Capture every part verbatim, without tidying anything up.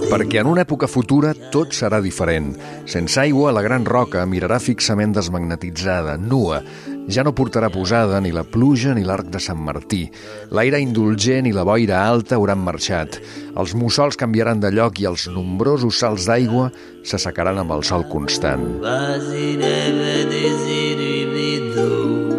Perquè en una època futura tot serà diferent. Sense aigua, la gran roca mirarà fixament desmagnetitzada, nua. Ja no portarà posada ni la pluja ni l'arc de Sant Martí. L'aire indulgent i la boira alta hauran marxat. Els mussols canviaran de lloc i els nombrosos salts d'aigua s'assecaran amb el sol constant.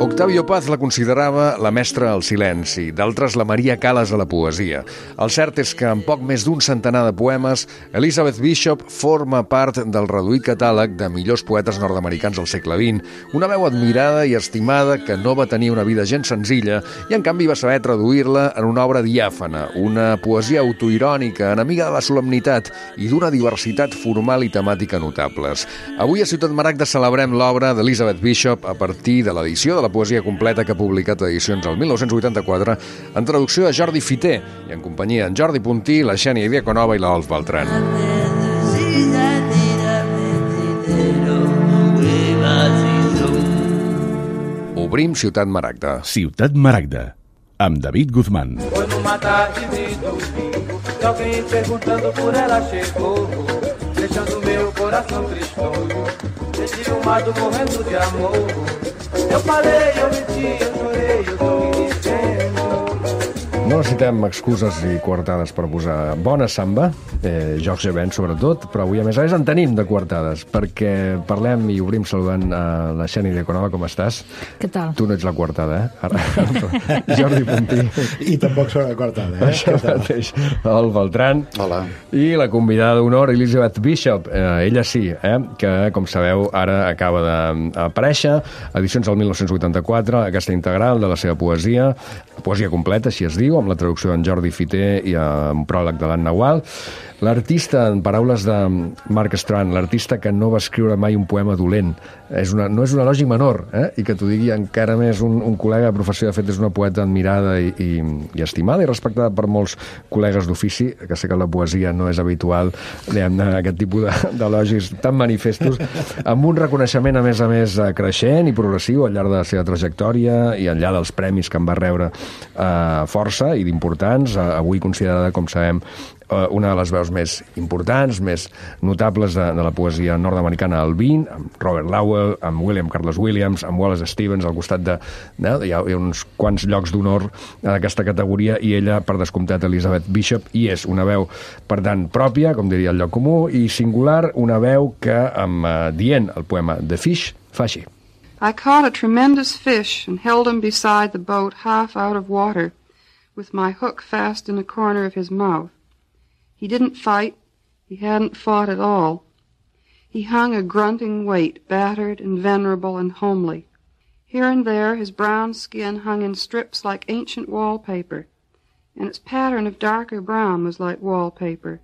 Octavio Paz la considerava la mestra al silenci, d'altres la Maria Callas a la poesia. El cert és que en poc més d'un centenar de poemes, Elizabeth Bishop forma part del reduït catàleg de millors poetes nord-americans del segle vint, una veu admirada i estimada que no va tenir una vida gens senzilla i en canvi va saber traduir-la en una obra diàfana, una poesia autoirònica, enemiga de la solemnitat i d'una diversitat formal i temàtica notables. Avui a Ciutat Maragda celebrem l'obra d'Elizabeth Bishop a partir de l'edició de la poesia completa que ha publicat Edicions el mil nou-cents vuitanta-quatre en traducció de Jordi Fiter i en companyia d'en Jordi Puntí, la Xènia Diaconova i l'Olf Beltran. Obrim Ciutat Maragda. Ciutat Maragda, amb David Guzmán. Foi numa tarde de domingo que alguém perguntando por ela chegou, deixando meu coração tristonho, desilumado morrendo de amor. Eu falei, eu menti, eu chorei, eu tô me dizendo. No necessitem excuses i coartades per posar bona samba, eh, Jorge Ben sobretot, però avui a més a més en tenim de coartades, perquè parlem i obrim saludant a la Xènia Diaconova. Com estàs? Què tal? Tu no ets la coartada, eh? Ara, Jordi Puntí. I tampoc sóc la coartada, eh? Això mateix. El Beltran. Hola. I la convidada d'honor, Elizabeth Bishop. Eh, ella sí, eh? Que, com sabeu, ara acaba d'aparèixer, edicions del mil nou-cents vuitanta-quatre, aquesta integral de la seva poesia, poesia completa, així es diu, amb la traducció d'en Jordi Fiter i un pròleg de l'Anna Gual. L'artista, en paraules de Mark Strand, l'artista que no va escriure mai un poema dolent. És una, no és un elogi menor, eh? I que t'ho digui encara més un, un col·lega de professió. De fet, és una poeta admirada i, i, i estimada i respectada per molts col·legues d'ofici, que sé que la poesia no és habitual, diguem-ne, aquest tipus d'elogis tan manifestos, amb un reconeixement, a més a més, creixent i progressiu al llarg de la seva trajectòria i al llarg dels premis que en va rebre eh, força i d'importants, eh, avui considerada, com sabem, una de les veus més importants, més notables de, de la poesia nord-americana del vint, amb Robert Lowell, amb William Carlos Williams, amb Wallace Stevens, al costat de... de hi, ha, hi ha uns quants llocs d'honor en aquesta categoria, i ella, per descomptat, Elizabeth Bishop, i és una veu, per tant, pròpia, com diria el lloc comú, i singular, una veu que, amb uh, dient el poema The Fish, fa així. I caught a tremendous fish and held him beside the boat half out of water, with my hook fast in the corner of his mouth. He didn't fight. He hadn't fought at all. He hung a grunting weight, battered and venerable and homely. Here and there his brown skin hung in strips like ancient wallpaper, and its pattern of darker brown was like wallpaper.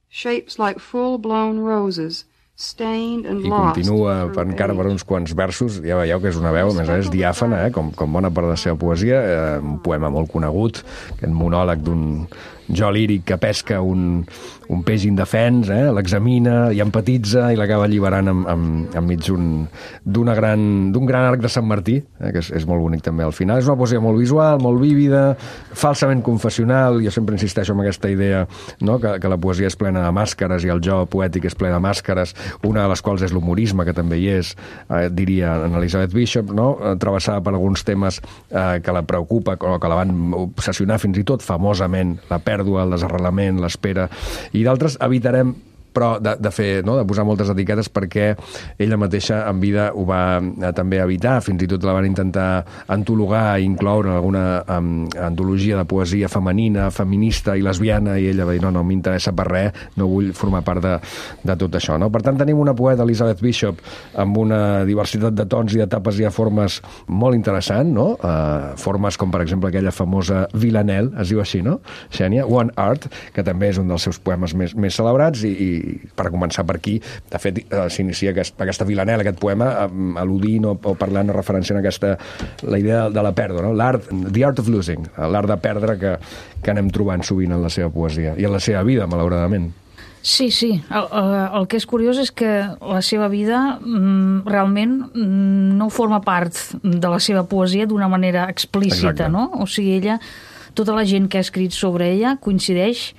Shapes like full-blown roses, stained and I lost. continua per, encara per uns quants versos. Ja veieu que és una veu, a més a més, diàfana, eh? com, com bona part de la seva poesia, eh, un poema molt conegut, aquest monòleg d'un jo líric que pesca un, un peix indefens, eh? L'examina i empatitza i l'acaba alliberant amb, amb, enmig d'un gran, d'un gran arc de Sant Martí, eh? Que és, és molt bonic també al final. És una poesia molt visual, molt vívida, falsament confessional. Jo sempre insisteixo en aquesta idea, no? que, que la poesia és plena de màscares i el jo poètic és ple de màscares, una de les quals és l'humorisme, que també hi és, eh, diria en Elizabeth Bishop, no? Travessada per alguns temes eh, que la preocupa o que la van obsessionar fins i tot famosament, la pèrdua, el desarrelament, l'espera, i d'altres evitarem però de, de fer, no? de posar moltes etiquetes, perquè ella mateixa en vida ho va eh, també evitar. Fins i tot la van intentar antologar i incloure en alguna um, antologia de poesia femenina, feminista i lesbiana, i ella va dir, no, no m'interessa per res, no vull formar part de, de tot això. No? Per tant, tenim una poeta, Elizabeth Bishop, amb una diversitat de tons i d'etapes i de formes molt interessant, no? Uh, formes com, per exemple, aquella famosa Villanelle, es diu així, no? Xènia, One Art, que també és un dels seus poemes més, més celebrats, i, i per començar per aquí, de fet, eh, s'inicia aquest, aquesta Villanelle, aquest poema, eh, al·ludint o, o parlant o referenciant aquesta, la idea de la pèrdua, no? L'art, the art of losing, l'art de perdre que, que anem trobant sovint en la seva poesia i en la seva vida, malauradament. Sí, sí. El, el que és curiós és que la seva vida mm, realment mm, no forma part de la seva poesia d'una manera explícita, Exacte. No? O sigui, ella tota la gent que ha escrit sobre ella coincideix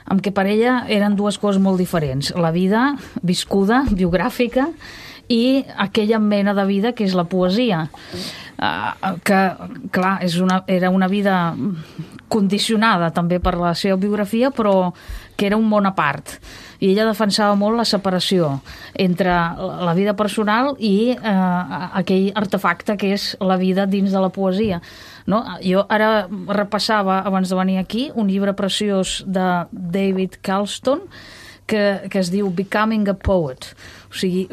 amb que per ella eren dues coses molt diferents. La vida viscuda, biogràfica, i aquella mena de vida que és la poesia. Uh, que, clar, és una, era una vida condicionada també per la seva biografia, però que era un món a part. I ella defensava molt la separació entre la vida personal i eh, aquell artefacte que és la vida dins de la poesia. No? Jo ara repassava, abans de venir aquí, un llibre preciós de David Carlston que, que es diu Becoming a Poet, o sigui,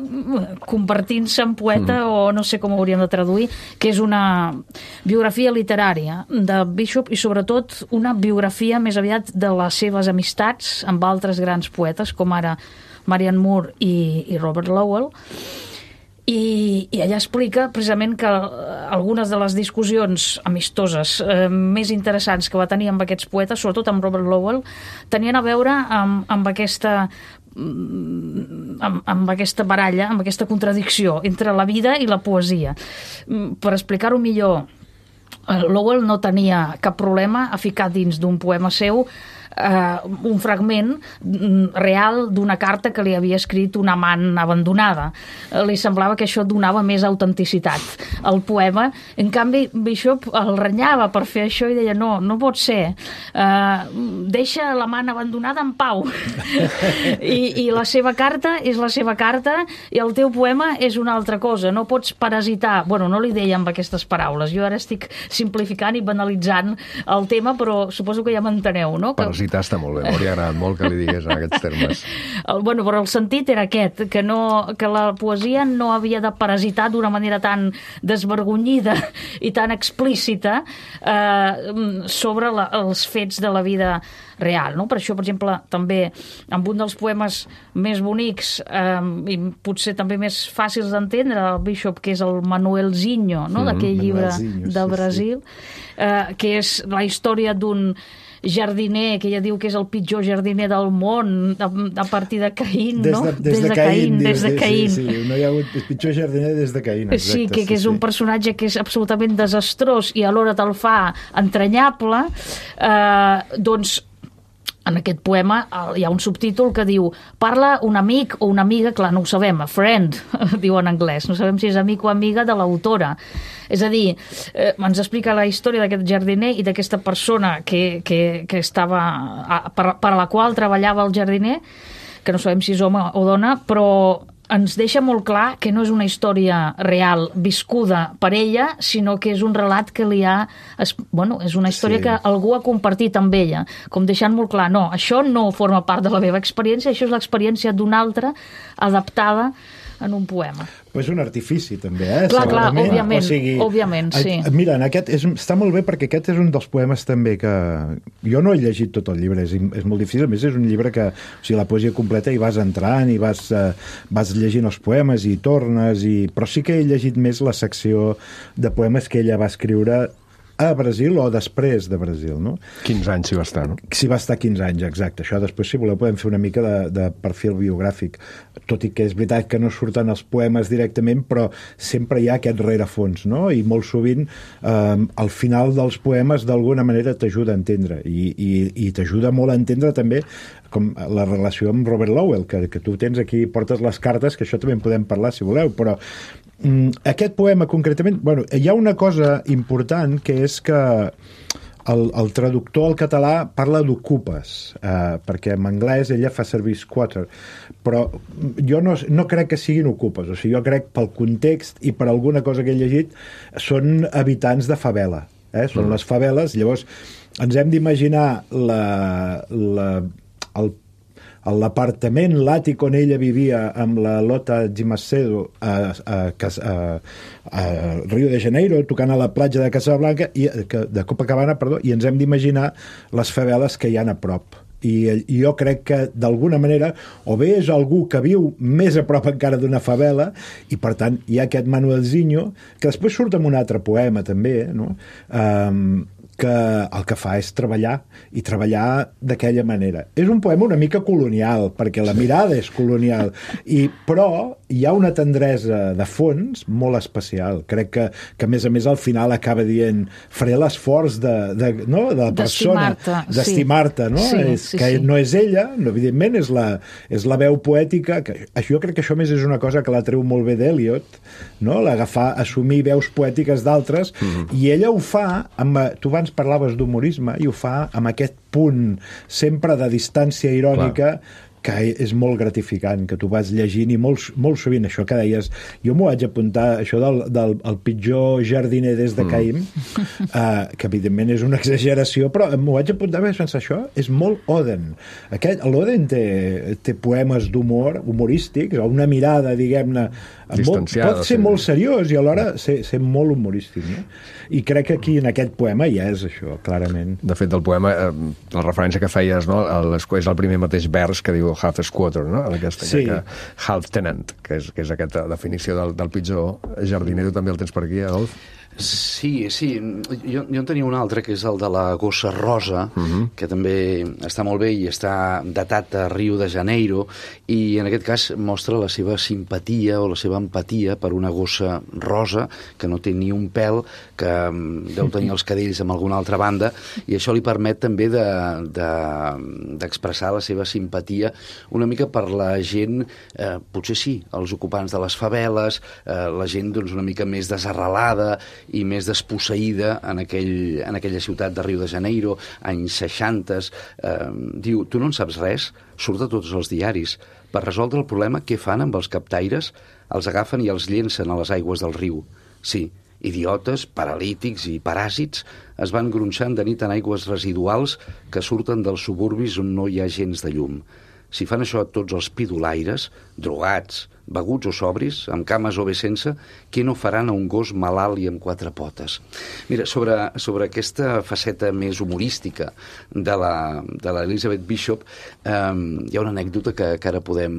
convertint-se en poeta, mm. o no sé com ho hauríem de traduir, que és una biografia literària de Bishop i sobretot una biografia més aviat de les seves amistats amb altres grans poetes, com ara Marianne Moore i, i Robert Lowell. I, i ella explica precisament que algunes de les discussions amistoses eh, més interessants que va tenir amb aquests poetes, sobretot amb Robert Lowell, tenien a veure amb, amb aquesta amb, amb aquesta baralla, amb aquesta contradicció entre la vida i la poesia. Per explicar-ho millor, Lowell no tenia cap problema a ficar dins d'un poema seu Uh, un fragment real d'una carta que li havia escrit una amant abandonada. Uh, li semblava que això donava més autenticitat al poema. En canvi, Bishop el renyava per fer això i deia, no, no pot ser. Uh, deixa l'amant abandonada en pau. I, I la seva carta és la seva carta i el teu poema és una altra cosa. No pots parasitar. Bueno, no li deia amb aquestes paraules. Jo ara estic simplificant i banalitzant el tema, però suposo que ja m'enteneu, no? Que està molt bé, m'hauria agradat molt que li digués en aquests termes. El, bueno, però el sentit era aquest, que, no, que la poesia no havia de parasitar d'una manera tan desvergonyida i tan explícita eh, sobre la, els fets de la vida real, no? Per això, per exemple, també amb un dels poemes més bonics eh, i potser també més fàcils d'entendre, el Bishop, que és el Manuelzinho, no? Mm, d'aquell llibre de sí, Brasil, sí. Eh, que és la història d'un jardiner, que ella diu que és el pitjor jardiner del món, a, a partir de Caín, des de, no? Des de, des de Caín, Caín, des de Caín. Sí, sí, no hi ha hagut el pitjor jardiner des de Caín, exacte. Sí, que, que és sí, un personatge que és absolutament desastrós i alhora te'l fa entranyable, eh, doncs en aquest poema hi ha un subtítol que diu parla un amic o una amiga, clar, no ho sabem, a friend, diu en anglès, no sabem si és amic o amiga de l'autora. És a dir, eh, ens explica la història d'aquest jardiner i d'aquesta persona que, que, que estava, per, per a la qual treballava el jardiner, que no sabem si és home o dona, però ens deixa molt clar que no és una història real, viscuda per ella, sinó que és un relat que li ha... Es, bueno, és una història sí. que algú ha compartit amb ella, com deixant molt clar, no, això no forma part de la meva experiència, això és l'experiència d'una altra adaptada en un poema. Però és un artifici, també, eh? Clar, clar, òbviament, o sigui, òbviament, sí. Mira, en aquest és, està molt bé perquè aquest és un dels poemes també que... Jo no he llegit tot el llibre, és, és molt difícil, a més és un llibre que, o sigui, la poesia completa hi vas entrant i vas, eh, vas llegint els poemes i tornes, i... però sí que he llegit més la secció de poemes que ella va escriure a Brasil o després de Brasil, no? quinze anys s'hi va estar, no? S'hi va estar quinze anys, exacte. Això després, si voleu, podem fer una mica de, de perfil biogràfic, tot i que és veritat que no surten els poemes directament, però sempre hi ha aquest rerefons, no? I molt sovint, eh, al final dels poemes, d'alguna manera t'ajuda a entendre, i, i, i t'ajuda molt a entendre també com la relació amb Robert Lowell, que, que tu tens aquí, portes les cartes, que això també en podem parlar, si voleu, però aquest poema concretament, bueno, hi ha una cosa important que és que el, el traductor al català parla d'ocupes, eh, perquè en anglès ella fa servir squatter, però jo no, no crec que siguin ocupes, o sigui, jo crec pel context i per alguna cosa que he llegit són habitants de favela, eh? Són mm. les faveles, llavors ens hem d'imaginar la, la, el l'apartament, l'àtic on ella vivia amb la Lota Di Macedo a, a, a, a Rio de Janeiro, tocant a la platja de Casablanca, i, de Copacabana, perdó, i ens hem d'imaginar les faveles que hi ha a prop. I, i jo crec que d'alguna manera o bé és algú que viu més a prop encara d'una favela i per tant hi ha aquest Manuelzinho que després surt en un altre poema també, no? Um, que el que fa és treballar i treballar d'aquella manera. És un poema una mica colonial, perquè la mirada és colonial, i, però hi ha una tendresa de fons molt especial. Crec que, que a més a més, al final acaba dient faré l'esforç de, de, no? de la persona, d'estimar-te, no? Sí, és, sí, que sí. no és ella, no, evidentment, és la, és la veu poètica, que jo crec que això més és una cosa que la treu molt bé d'Eliot, no? L'agafar, assumir veus poètiques d'altres, mm-hmm. i ella ho fa, amb, tu abans parlaves d'humorisme, i ho fa amb aquest punt sempre de distància irònica, clar, que és molt gratificant, que tu vas llegint i molt, molt sovint això que deies, jo m'ho vaig apuntar, això del, del el pitjor jardiner des de Caïm, mm. uh, que evidentment és una exageració, però m'ho vaig apuntar i vaig pensar, això és molt Oden. Aquest, l'Oden té, té poemes d'humor, humorístics, o una mirada, diguem-ne, molt, pot ser sí. molt seriós i alhora ser, ser molt humorístic, no? I crec que aquí en aquest poema ja és això, clarament. De fet, el poema, eh, la referència que feies, no? El, és el primer mateix vers que diu half squatter, no? Aquesta, sí. que, half tenant, que és, que és aquesta definició del, del pitjor jardiner. Tu també el tens per aquí, Adolf? Sí, sí. Jo, jo en tenia un altre, que és el de la gossa rosa, uh-huh. que també està molt bé i està datat a Rio de Janeiro, i en aquest cas mostra la seva simpatia o la seva empatia per una gossa rosa que no té ni un pèl, que deu tenir els cadells amb alguna altra banda, i això li permet també de, de, d'expressar la seva simpatia una mica per la gent, eh, potser sí, els ocupants de les faveles, eh, la gent doncs, una mica més desarrelada i més desposseïda en, aquell, en aquella ciutat de Rio de Janeiro, anys seixanta. Eh, diu, tu no en saps res? Surt a tots els diaris. Per resoldre el problema, què fan amb els captaires? Els agafen i els llencen a les aigües del riu. Sí, idiotes, paralítics i paràsits es van gronxant de nit en aigües residuals que surten dels suburbis on no hi ha gens de llum. Si fan això a tots els pidolaires, drogats, beguts o sobris, amb cames o bé sense, què no faran a un gos malalt i amb quatre potes? Mira, sobre, sobre aquesta faceta més humorística de la, de l'Elizabeth Bishop, eh, hi ha una anècdota que, que ara podem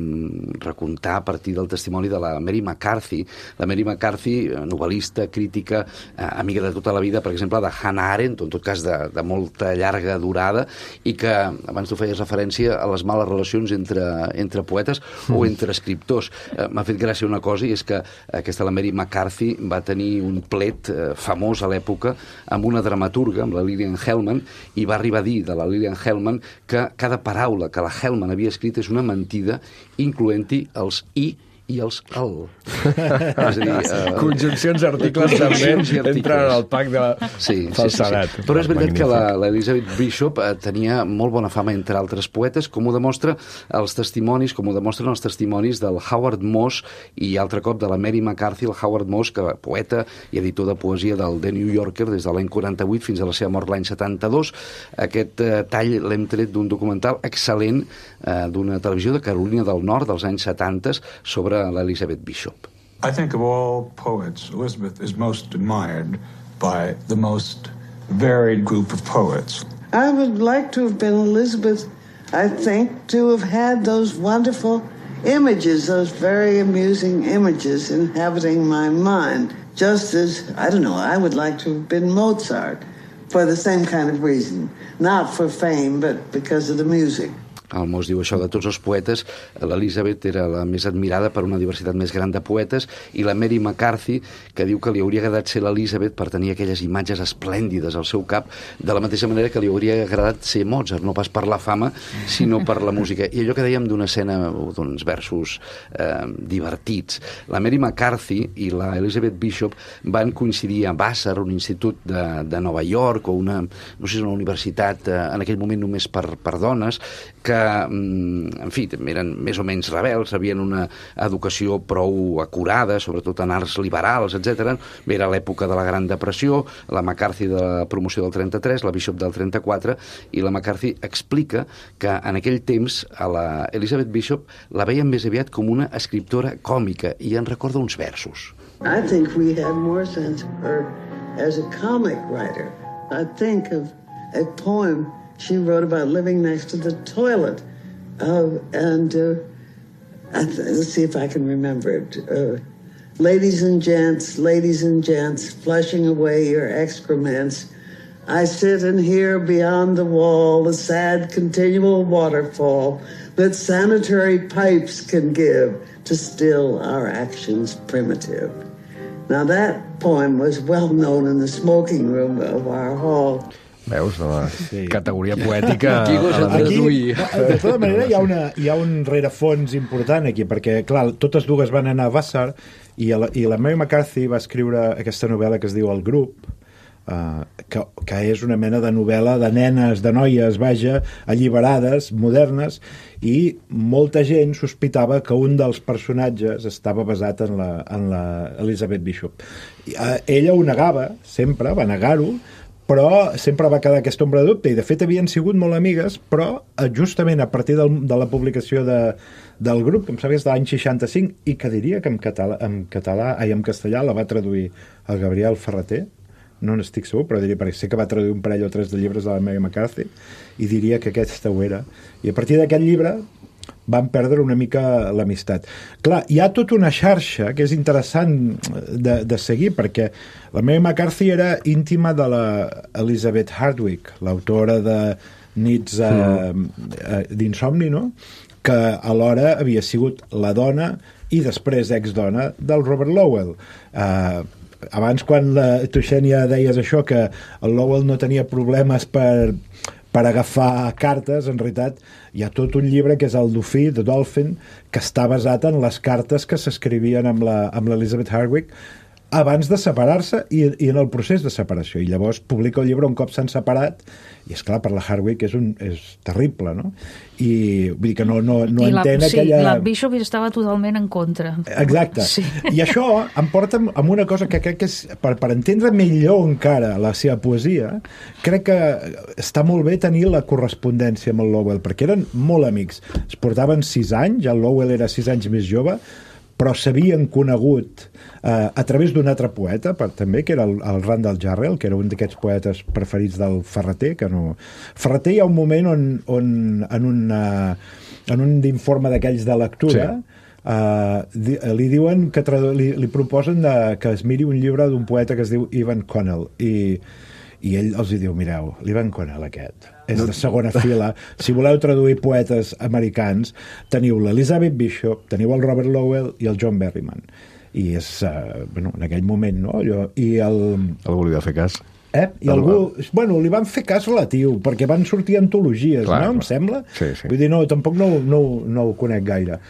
recontar a partir del testimoni de la Mary McCarthy. La Mary McCarthy, novel·lista, crítica, eh, amiga de tota la vida, per exemple, de Hannah Arendt, en tot cas de, de molta llarga durada, i que abans tu feies referència a les males relacions entre, entre poetes mm. o entre escriptors. M'ha fet gràcia una cosa, i és que aquesta, la Mary McCarthy, va tenir un plet eh, famós a l'època amb una dramaturga, amb la Lillian Hellman, i va arribar a dir de la Lillian Hellman que cada paraula que la Hellman havia escrit és una mentida, incloent-hi els i i els al. És a dir, uh, conjuncions articles també entren en el pack de la sí, falsedat. Sí, sí, sí. Però és veritat Magnífic. que l'Elizabeth Bishop eh, tenia molt bona fama entre altres poetes, com ho demostra els testimonis, com ho demostren els testimonis del Howard Moss i altre cop de la Mary McCarthy, el Howard Moss, que poeta i editor de poesia del The New Yorker des de l'any quaranta-vuit fins a la seva mort l'any setanta-dos. Aquest eh, tall l'hem tret d'un documental excel·lent eh, d'una televisió de Carolina del Nord dels anys setanta sobre l'Elizabeth Bishop. I think of all poets, Elizabeth is most admired by the most varied group of poets. I would like to have been Elizabeth, I think, to have had those wonderful images, those very amusing images inhabiting my mind. Just as, I don't know, I would like to have been Mozart for the same kind of reason. Not for fame, but because of the music. El Moss diu això de tots els poetes. L'Elizabeth era la més admirada per una diversitat més gran de poetes, i la Mary McCarthy, que diu que li hauria agradat ser l'Elizabeth per tenir aquelles imatges esplèndides al seu cap, de la mateixa manera que li hauria agradat ser Mozart, no pas per la fama, sinó per la música. I allò que dèiem d'una escena, d'uns versos eh, divertits. La Mary McCarthy i la Elizabeth Bishop van coincidir a Vassar, un institut de, de Nova York, o una, no sé, una universitat eh, en aquell moment només per, per dones, que, en fi, eren més o menys rebels, havien una educació prou acurada, sobretot en arts liberals, etcètera. Era l'època de la Gran Depressió, la McCarthy de la promoció del trenta-tres, la Bishop del trenta-quatre, i la McCarthy explica que en aquell temps a la Elizabeth Bishop la veien més aviat com una escriptora còmica, i en recorda uns versos. I think we had more sense of her as a comic writer. I think of a poem she wrote about living next to the toilet. Uh, and uh, I th- let's see if I can remember it. Uh, ladies and gents, ladies and gents, flushing away your excrements. I sit and hear beyond the wall the sad continual waterfall that sanitary pipes can give to still our actions primitive. Now that poem was well known in the smoking room of our hall. Veus, la sí. categoria poètica... Aquí gosa traduir. De tota manera, hi ha, una, hi ha un rerefons important aquí, perquè, clar, totes dues van anar a Vassar i la, i la Mary McCarthy va escriure aquesta novel·la que es diu El grup, Uh, que, que és una mena de novel·la de nenes, de noies, vaja, alliberades, modernes, i molta gent sospitava que un dels personatges estava basat en la, en la Elizabeth Bishop. Uh, ella ho negava, sempre, va negar-ho, però sempre va quedar aquesta ombra de dubte, i de fet havien sigut molt amigues, però justament a partir del, de la publicació de, del grup, que em sembla que és de l'any seixanta-cinc, i que diria que en català, en català, ai, en castellà la va traduir el Gabriel Ferreter, no n'estic segur, però diria, perquè sé que va traduir un parell o tres de llibres de la Mary McCarthy, i diria que aquesta ho era. I a partir d'aquest llibre van perdre una mica l'amistat. Clar, hi ha tota una xarxa que és interessant de, de seguir, perquè la Mary McCarthy era íntima de la Elizabeth Hardwick, l'autora de Nits uh, uh, d'insomni, no?, que alhora havia sigut la dona i després ex-dona del Robert Lowell. Uh, abans, quan la Tuixènia deies això, que el Lowell no tenia problemes per, per agafar cartes, en realitat hi ha tot un llibre que és el Dofí, The Dolphin, que està basat en les cartes que s'escrivien amb l'Elizabeth Hardwick abans de separar-se i, i en el procés de separació. I llavors publica el llibre un cop s'han separat, i és clar, per la Hardwick és, un, és terrible, no? I vull dir que no, no, no la, entén sí, aquella... la Bishop estava totalment en contra. Exacte. Sí. I això em porta amb una cosa que crec que és, per, per entendre millor encara la seva poesia, crec que està molt bé tenir la correspondència amb el Lowell, perquè eren molt amics. Es portaven sis anys, el Lowell era sis anys més jove, però s'havien conegut eh, a través d'un altre poeta, per, també, que era el, el Randall Jarrell, que era un d'aquests poetes preferits del Ferreter, que no... Ferreter hi ha un moment on, on en, una, en un informe d'aquells de lectura sí. eh, di, li diuen que tradu, li, li proposen de, que es miri un llibre d'un poeta que es diu Evan Connell, i i ell els diu, mireu, l'Evan Connell aquest és de segona fila, si voleu traduir poetes americans, teniu l'Elizabeth Bishop, teniu el Robert Lowell i el John Berryman, i és uh, bueno, en aquell moment, no? Allò, i el... Algú li va fer cas? Eh? I el... algú... Bueno, li van fer cas relatiu, perquè van sortir antologies, clar, no? Clar. Em sembla? Sí, sí. Vull dir, no, tampoc no, no, no ho conec gaire.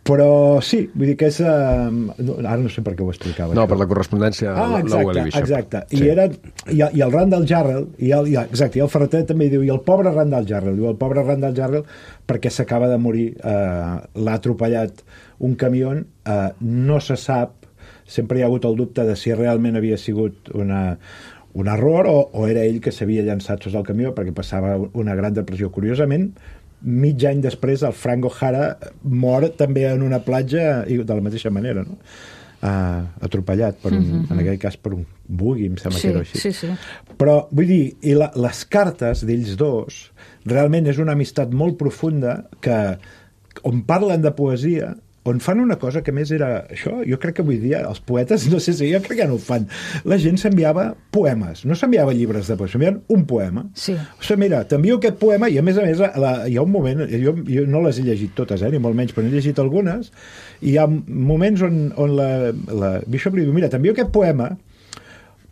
Però sí, vull dir que és... Uh, no, ara no sé per què ho explicava. No, això. Per la correspondència ah, Lowell i Bishop. Exacte, sí. I, era, i, i el Randall Jarrell, i el, i, exacte, i el Ferreter també diu, i el pobre Randall Jarrell, diu el pobre Randall Jarrell perquè s'acaba de morir, uh, l'ha atropellat un camió, uh, no se sap, sempre hi ha hagut el dubte de si realment havia sigut una... un error o, o era ell que s'havia llançat sota el camió perquè passava una gran depressió. Curiosament, mig any després el Frank O'Hara mor també en una platja i de la mateixa manera, no? Uh, atropellat per un, mm-hmm. en aquell cas per un buggy, em sembla sí, que era així. Sí, sí. Però vull dir, i la, les cartes d'ells dos realment és una amistat molt profunda que on parlen de poesia, on fan una cosa que més era això, jo crec que avui dia els poetes, no sé si jo crec que no ho fan, la gent s'enviava poemes, no s'enviava llibres de poesia, s'enviaven un poema. Sí. O sigui, mira, t'envio aquest poema i a més a més la, hi ha un moment, jo, jo no les he llegit totes, eh, ni molt menys, però n'he llegit algunes, i hi ha moments on, on la, la Bishop li diu, mira, t'envio aquest poema,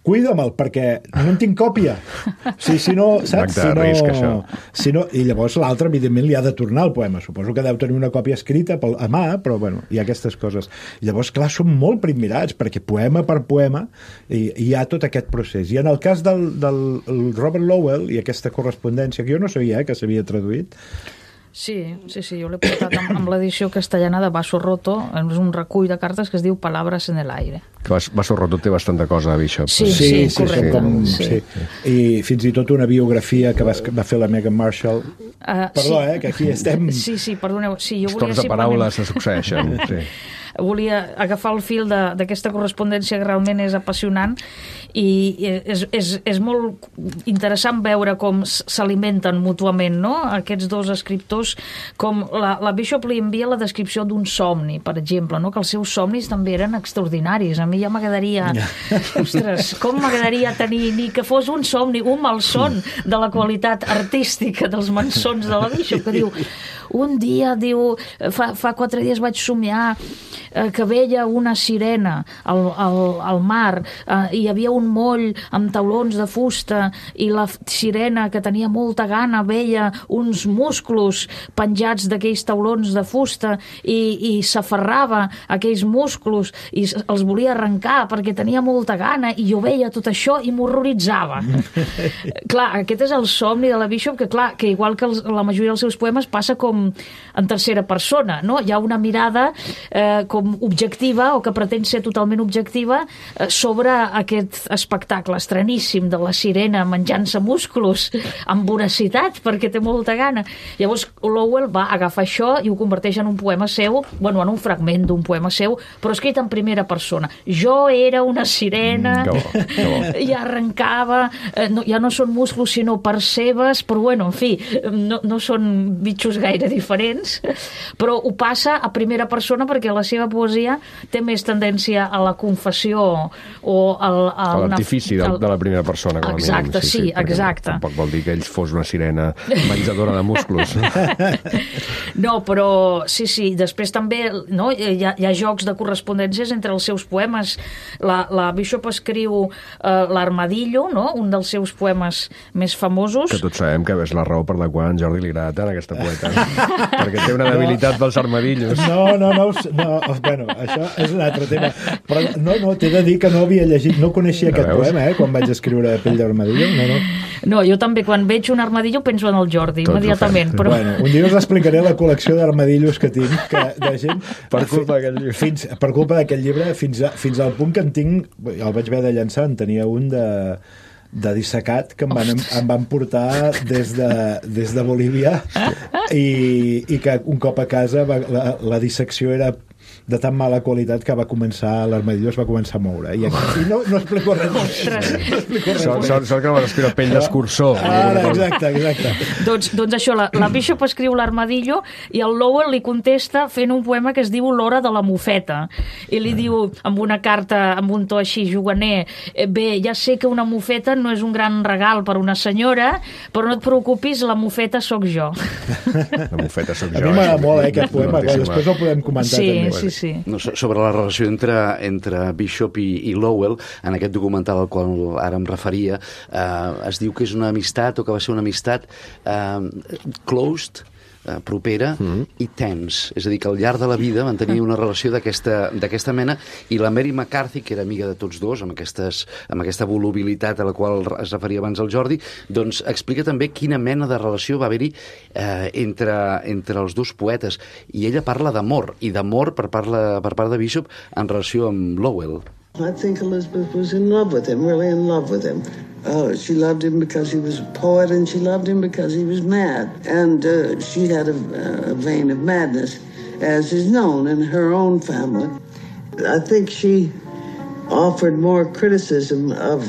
cuida'me'l, perquè no en tinc còpia. Si, si no, saps? Si no, risc, això. Si no, i llavors l'altre, evidentment, li ha de tornar el poema. Suposo que deu tenir una còpia escrita a mà, però, bueno, hi ha aquestes coses. I llavors, clar, són molt primmirats, perquè poema per poema hi, hi ha tot aquest procés. I en el cas del, del Robert Lowell i aquesta correspondència, que jo no sabia eh, que s'havia traduït, Sí, sí, sí, jo l'he portat amb, amb l'edició castellana de Vaso Roto, és un recull de cartes que es diu Palabras en el aire. Que Vaso Roto té bastanta cosa, Bishop. Sí, sí, sí, sí correcte. Com, sí. Sí. I fins i tot una biografia que va, va fer la Meghan Markle. Uh, Perdó, sí. eh, que aquí estem... Sí, sí, perdoneu. Sí, jo Els volia torns de simplement... paraules se succeeixen. Sí. volia agafar el fil d'aquesta correspondència que realment és apassionant i és, és, és molt interessant veure com s'alimenten mútuament, no? Aquests dos escriptors, com la, la Bishop li envia la descripció d'un somni, per exemple, no? Que els seus somnis també eren extraordinaris. A mi ja m'agradaria, ostres, com m'agradaria tenir ni que fos un somni, un malson de la qualitat artística dels malsons de la Bishop, que diu, un dia, diu, fa, fa quatre dies vaig somiar eh, que veia una sirena al, al, al mar, eh, hi havia un moll amb taulons de fusta i la sirena, que tenia molta gana, veia uns musclos penjats d'aquells taulons de fusta i, i s'aferrava a aquells musclos i els volia arrencar perquè tenia molta gana i jo veia tot això i m'horroritzava. Clar, aquest és el somni de la Bishop, que clar, que igual que els, la majoria dels seus poemes passa com en tercera persona, no? Hi ha una mirada eh, com objectiva o que pretén ser totalment objectiva eh, sobre aquest espectacle estraníssim de la sirena menjant-se músculs amb voracitat perquè té molta gana. Llavors Lowell va agafar això i ho converteix en un poema seu, bueno, en un fragment d'un poema seu, però escrit en primera persona. Jo era una sirena mm, que bo, que bo. I arrencava, eh, no, ja no són músculs sinó percebes, però bueno, en fi, no, no són bitxos gaire diferents, però ho passa a primera persona perquè la seva poesia té més tendència a la confessió o al, a, a l'artifici de, de la primera persona, com a exacte, mínim. Sí, sí, exacte. Tampoc vol dir que ell fos una sirena menjadora de músculs. No, però sí, sí, després també no, hi, ha, hi ha jocs de correspondències entre els seus poemes. La, la Bishop escriu eh, l'Armadillo, no? Un dels seus poemes més famosos. Que tots sabem que és la raó per la qual a en Jordi li agrada tant aquesta poeta. Perquè té una debilitat pels armadillos. No, no, no, no, bueno, això és un altre tema. Però no, no, t'he de dir que no havia llegit, no coneixia no aquest veus? poema, eh, quan vaig escriure Pell d'armadillo, no, no. No, jo també, quan veig un armadillo penso en el Jordi, Tots immediatament. Però... Bueno, un dia us explicaré la col·lecció d'armadillos que tinc, que, de gent... Per culpa d'aquest llibre. Fins, per culpa d'aquest llibre, fins, a, fins al punt que en tinc, el vaig haver de llançar, en tenia un de... de dissecat que em van, em van portar des de, des de Bolívia i, i que un cop a casa va, la, la dissecció era de tan mala qualitat que va començar l'armadillo es va començar a moure i, aquí, i no, no explico res no explico res sort, sort, sort que no vas escriure Pell d'escurçó. Ara, exacte, exacte. doncs, doncs això, la, la Bishop escriu l'Armadillo i el Lowell li contesta fent un poema que es diu L'hora de la mofeta i li diu amb una carta amb un to així juganer, bé, ja sé que una mofeta no és un gran regal per una senyora, però no et preocupis, la mofeta sóc jo. La mofeta sóc jo. A mi m'agrada molt, eh, aquest poema, que després el podem comentar sí, també. Sí, sí. No, sobre la relació entre, entre Bishop i, i Lowell, en aquest documental al qual ara em referia, eh, es diu que és una amistat, o que va ser una amistat eh, closed, eh, propera mm-hmm. i tense. És a dir, que al llarg de la vida van tenir una relació d'aquesta mena, i la Mary McCarthy, que era amiga de tots dos, amb, aquestes, amb aquesta volubilitat a la qual es referia abans el Jordi, doncs explica també quina mena de relació va haver-hi eh, entre, entre els dos poetes. I ella parla d'amor, i d'amor per, parla, per part de Bishop en relació amb Lowell. I think Elizabeth was in love with him, really in love with him. Uh, she loved him because he was a poet, and she loved him because he was mad. And uh, she had a, a vein of madness, as is known in her own family. I think she offered more criticism of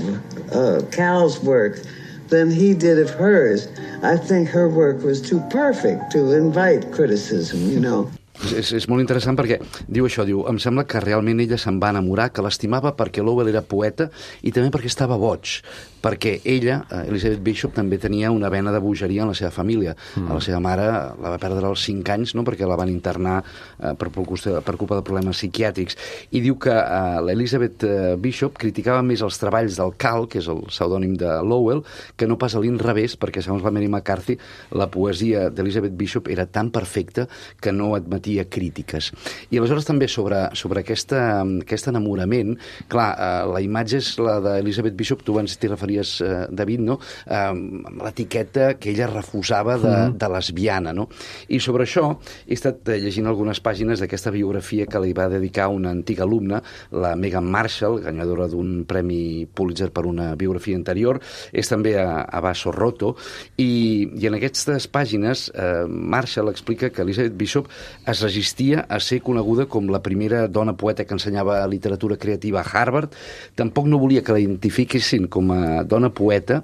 uh, Cal's work than he did of hers. I think her work was too perfect to invite criticism, you know. És, és molt interessant perquè diu això, diu, em sembla que realment ella se'n va enamorar, que l'estimava perquè Lowell era poeta i també perquè estava boig, perquè ella, Elizabeth Bishop, també tenia una vena de bogeria en la seva família. Mm. A la seva mare la va perdre als cinc anys, no?, perquè la van internar eh, per, per culpa de problemes psiquiàtrics. I diu que eh, l'Elizabeth Bishop criticava més els treballs del Cal, que és el pseudònim de Lowell, que no pas a l'inrevés, perquè segons la Mary McCarthy, la poesia d'Elizabeth Bishop era tan perfecta que no admetia crítiques. I aleshores també sobre, sobre aquesta, aquest enamorament, clar, eh, la imatge és la d'Elizabeth Bishop, tu abans t'hi referies deies, eh, David, no? eh, l'etiqueta que ella refusava de, mm. de lesbiana. No? I sobre això he estat llegint algunes pàgines d'aquesta biografia que li va dedicar una antiga alumna, la Megan Marshall, guanyadora d'un premi Pulitzer per una biografia anterior. És també a, a Basso Roto, i, i en aquestes pàgines eh, Marshall explica que Elizabeth Bishop es resistia a ser coneguda com la primera dona poeta que ensenyava literatura creativa a Harvard. Tampoc no volia que la identifiquessin com a dona poeta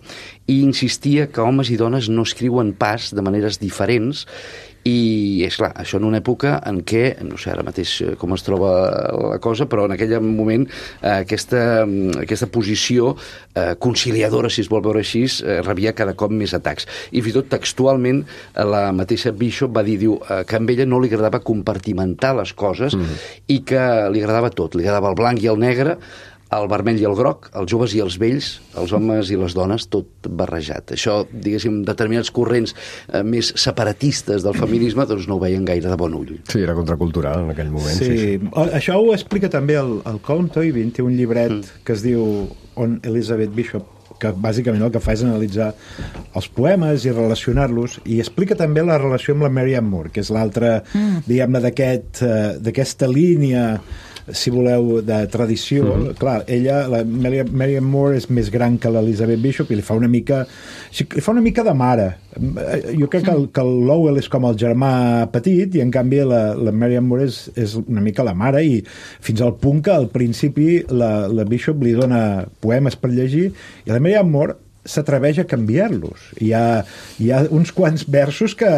i insistia que homes i dones no escriuen pas de maneres diferents. I, és clar, això en una època en què, no sé ara mateix com es troba la cosa, però en aquell moment eh, aquesta, aquesta posició eh, conciliadora, si es vol veure així, eh, rebia cada cop més atacs. I fins i tot textualment la mateixa Bishop va dir, diu, eh, que a ella no li agradava compartimentar les coses mm. i que li agradava tot, li agradava el blanc i el negre, el vermell i el groc, els joves i els vells, els homes i les dones, tot barrejat. Això, diguéssim, determinats corrents eh, més separatistes del feminisme doncs no ho veien gaire de bon ull. Sí, era contracultural en aquell moment. Sí, sí, sí. Això ho explica també el, el Colm Toibin, té un llibret mm. que es diu On Elizabeth Bishop, que bàsicament el que fa és analitzar els poemes i relacionar-los, i explica també la relació amb la Marianne Moore, que és l'altra, mm. diguem-ne, d'aquest, uh, d'aquesta línia, si voleu, de tradició. Mm-hmm. Clar, ella, la Marianne Moore és més gran que l'Elizabeth Bishop i li fa una mica li fa una mica de mare. Jo crec que el, que el Lowell és com el germà petit i en canvi la, la Marianne Moore és, és una mica la mare, i fins al punt que al principi la, la Bishop li dona poemes per llegir i la Marianne Moore s'atreveix a canviar-los. Hi ha, hi ha uns quants versos que,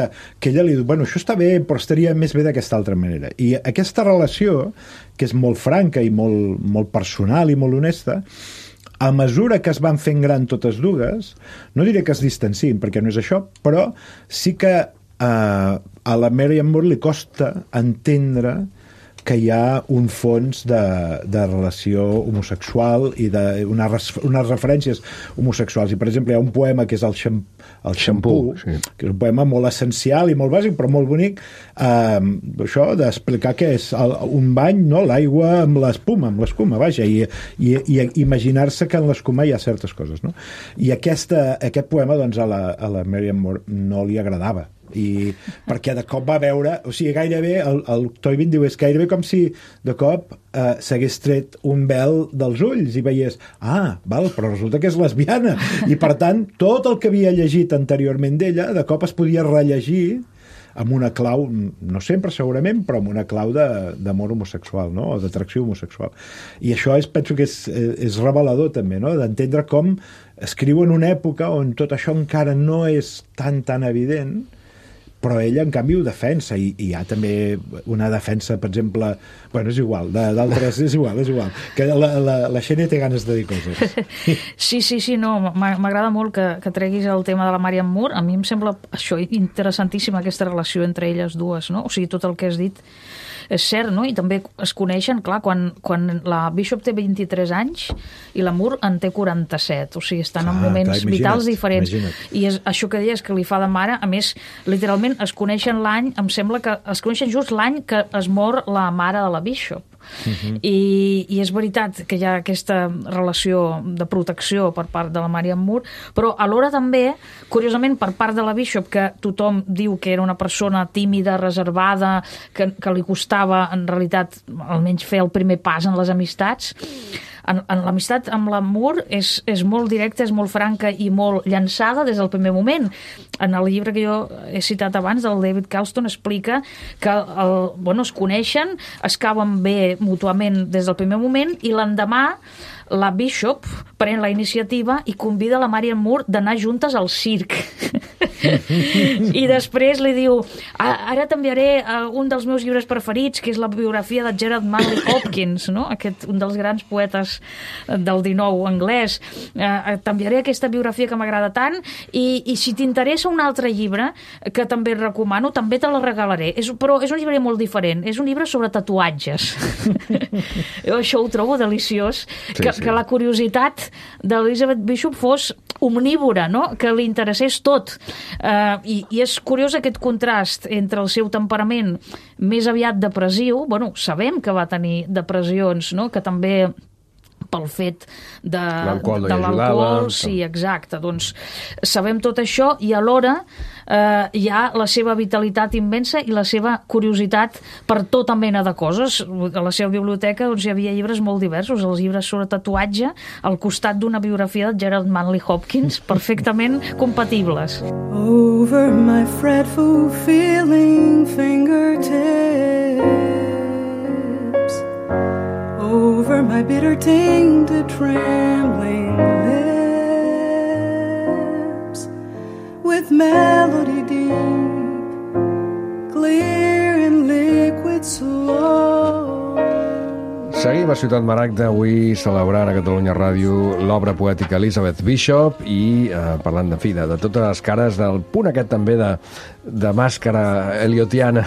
que ella li diu, bueno, això està bé, però estaria més bé d'aquesta altra manera. I aquesta relació, que és molt franca i molt, molt personal i molt honesta, a mesura que es van fent gran totes dues, no diré que es distancin, perquè no és això, però sí que eh, a la Marianne Moore li costa entendre que hi ha un fons de, de relació homosexual i de una, unes referències homosexuals. I, per exemple, hi ha un poema que és el, xam, el Xampú, sí. que és un poema molt essencial i molt bàsic, però molt bonic, eh, això d'explicar què és el, un bany, no? L'aigua amb l'espuma, amb l'escuma, vaja, i, i, i imaginar-se que en l'escuma hi ha certes coses, no? I aquesta, aquest poema, doncs, a la, a la Marianne Moore no li agradava, i perquè de cop va veure, o sigui, gairebé el, el Toibin diu, és gairebé com si de cop eh, s'hagués tret un vel dels ulls i veies, ah, val, però resulta que és lesbiana, i per tant tot el que havia llegit anteriorment d'ella de cop es podia rellegir amb una clau, no sempre segurament, però amb una clau d'amor homosexual, no? O d'atracció homosexual. I això és, penso que és, és revelador també, no? D'entendre com escriu en una època on tot això encara no és tan tan evident, però ella, en canvi, ho defensa, i, i hi ha també una defensa, per exemple, bueno, és igual, d'altres, és igual, és igual, que la, la, la Xènia té ganes de dir coses. Sí, sí, sí, no, m'agrada molt que, que treguis el tema de la Marianne Moore. A mi em sembla això interessantíssima, aquesta relació entre elles dues, no? O sigui, tot el que has dit és cert, no? I també es coneixen, clar, quan, quan la Bishop té vint-i-tres anys i la Moore en té quaranta-set, o sigui, estan ah, en moments clar, vitals diferents. Imagina't. I és això que deies que li fa de mare, a més, literalment es coneixen l'any, em sembla que es coneixen just l'any que es mor la mare de la Bishop. Uh-huh. I, i és veritat que hi ha aquesta relació de protecció per part de la Marianne Moore, però alhora també, curiosament, per part de la Bishop, que tothom diu que era una persona tímida, reservada, que, que li costava en realitat almenys fer el primer pas en les amistats, en, en l'amistat amb la Moore és, és molt directa, és molt franca i molt llançada des del primer moment. En el llibre que jo he citat abans, del David Kalston, explica que el, bueno, es coneixen, es cauen bé mútuament des del primer moment, i l'endemà la Bishop pren la iniciativa i convida la Marianne Moore d'anar juntes al circ. I després li diu, ara t'enviaré un dels meus llibres preferits, que és la biografia de Gerard Manley Hopkins, no? Aquest, un dels grans poetes del dinou anglès. T'enviaré aquesta biografia que m'agrada tant, i, i si t'interessa un altre llibre que també et recomano, també te la regalaré. És, però és un llibre molt diferent, és un llibre sobre tatuatges. Jo això ho trobo deliciós, sí, que, sí. que la curiositat d'Elizabeth Bishop fos omnívora, no? Que li interessés tot. Uh, i, I és curiós aquest contrast entre el seu temperament més aviat depressiu, bueno, sabem que va tenir depressions, no? Que també pel fet de, L'alcohol no de hi l'alcohol. ajudava. Sí, exacte. Doncs sabem tot això i alhora eh, hi ha la seva vitalitat immensa i la seva curiositat per tota mena de coses. A la seva biblioteca doncs, hi havia llibres molt diversos, els llibres sobre tatuatge al costat d'una biografia de Gerald Manley Hopkins, perfectament compatibles. Over my fretful feeling fingertips, over my bitter tainted trembling lips, with melody deep, clear and liquid slow. Seguim a Ciutat Maragda, avui celebrant a Catalunya Ràdio l'obra poètica Elizabeth Bishop i eh, parlant de fi, de, de totes les cares, del punt aquest també de, de màscara eliotiana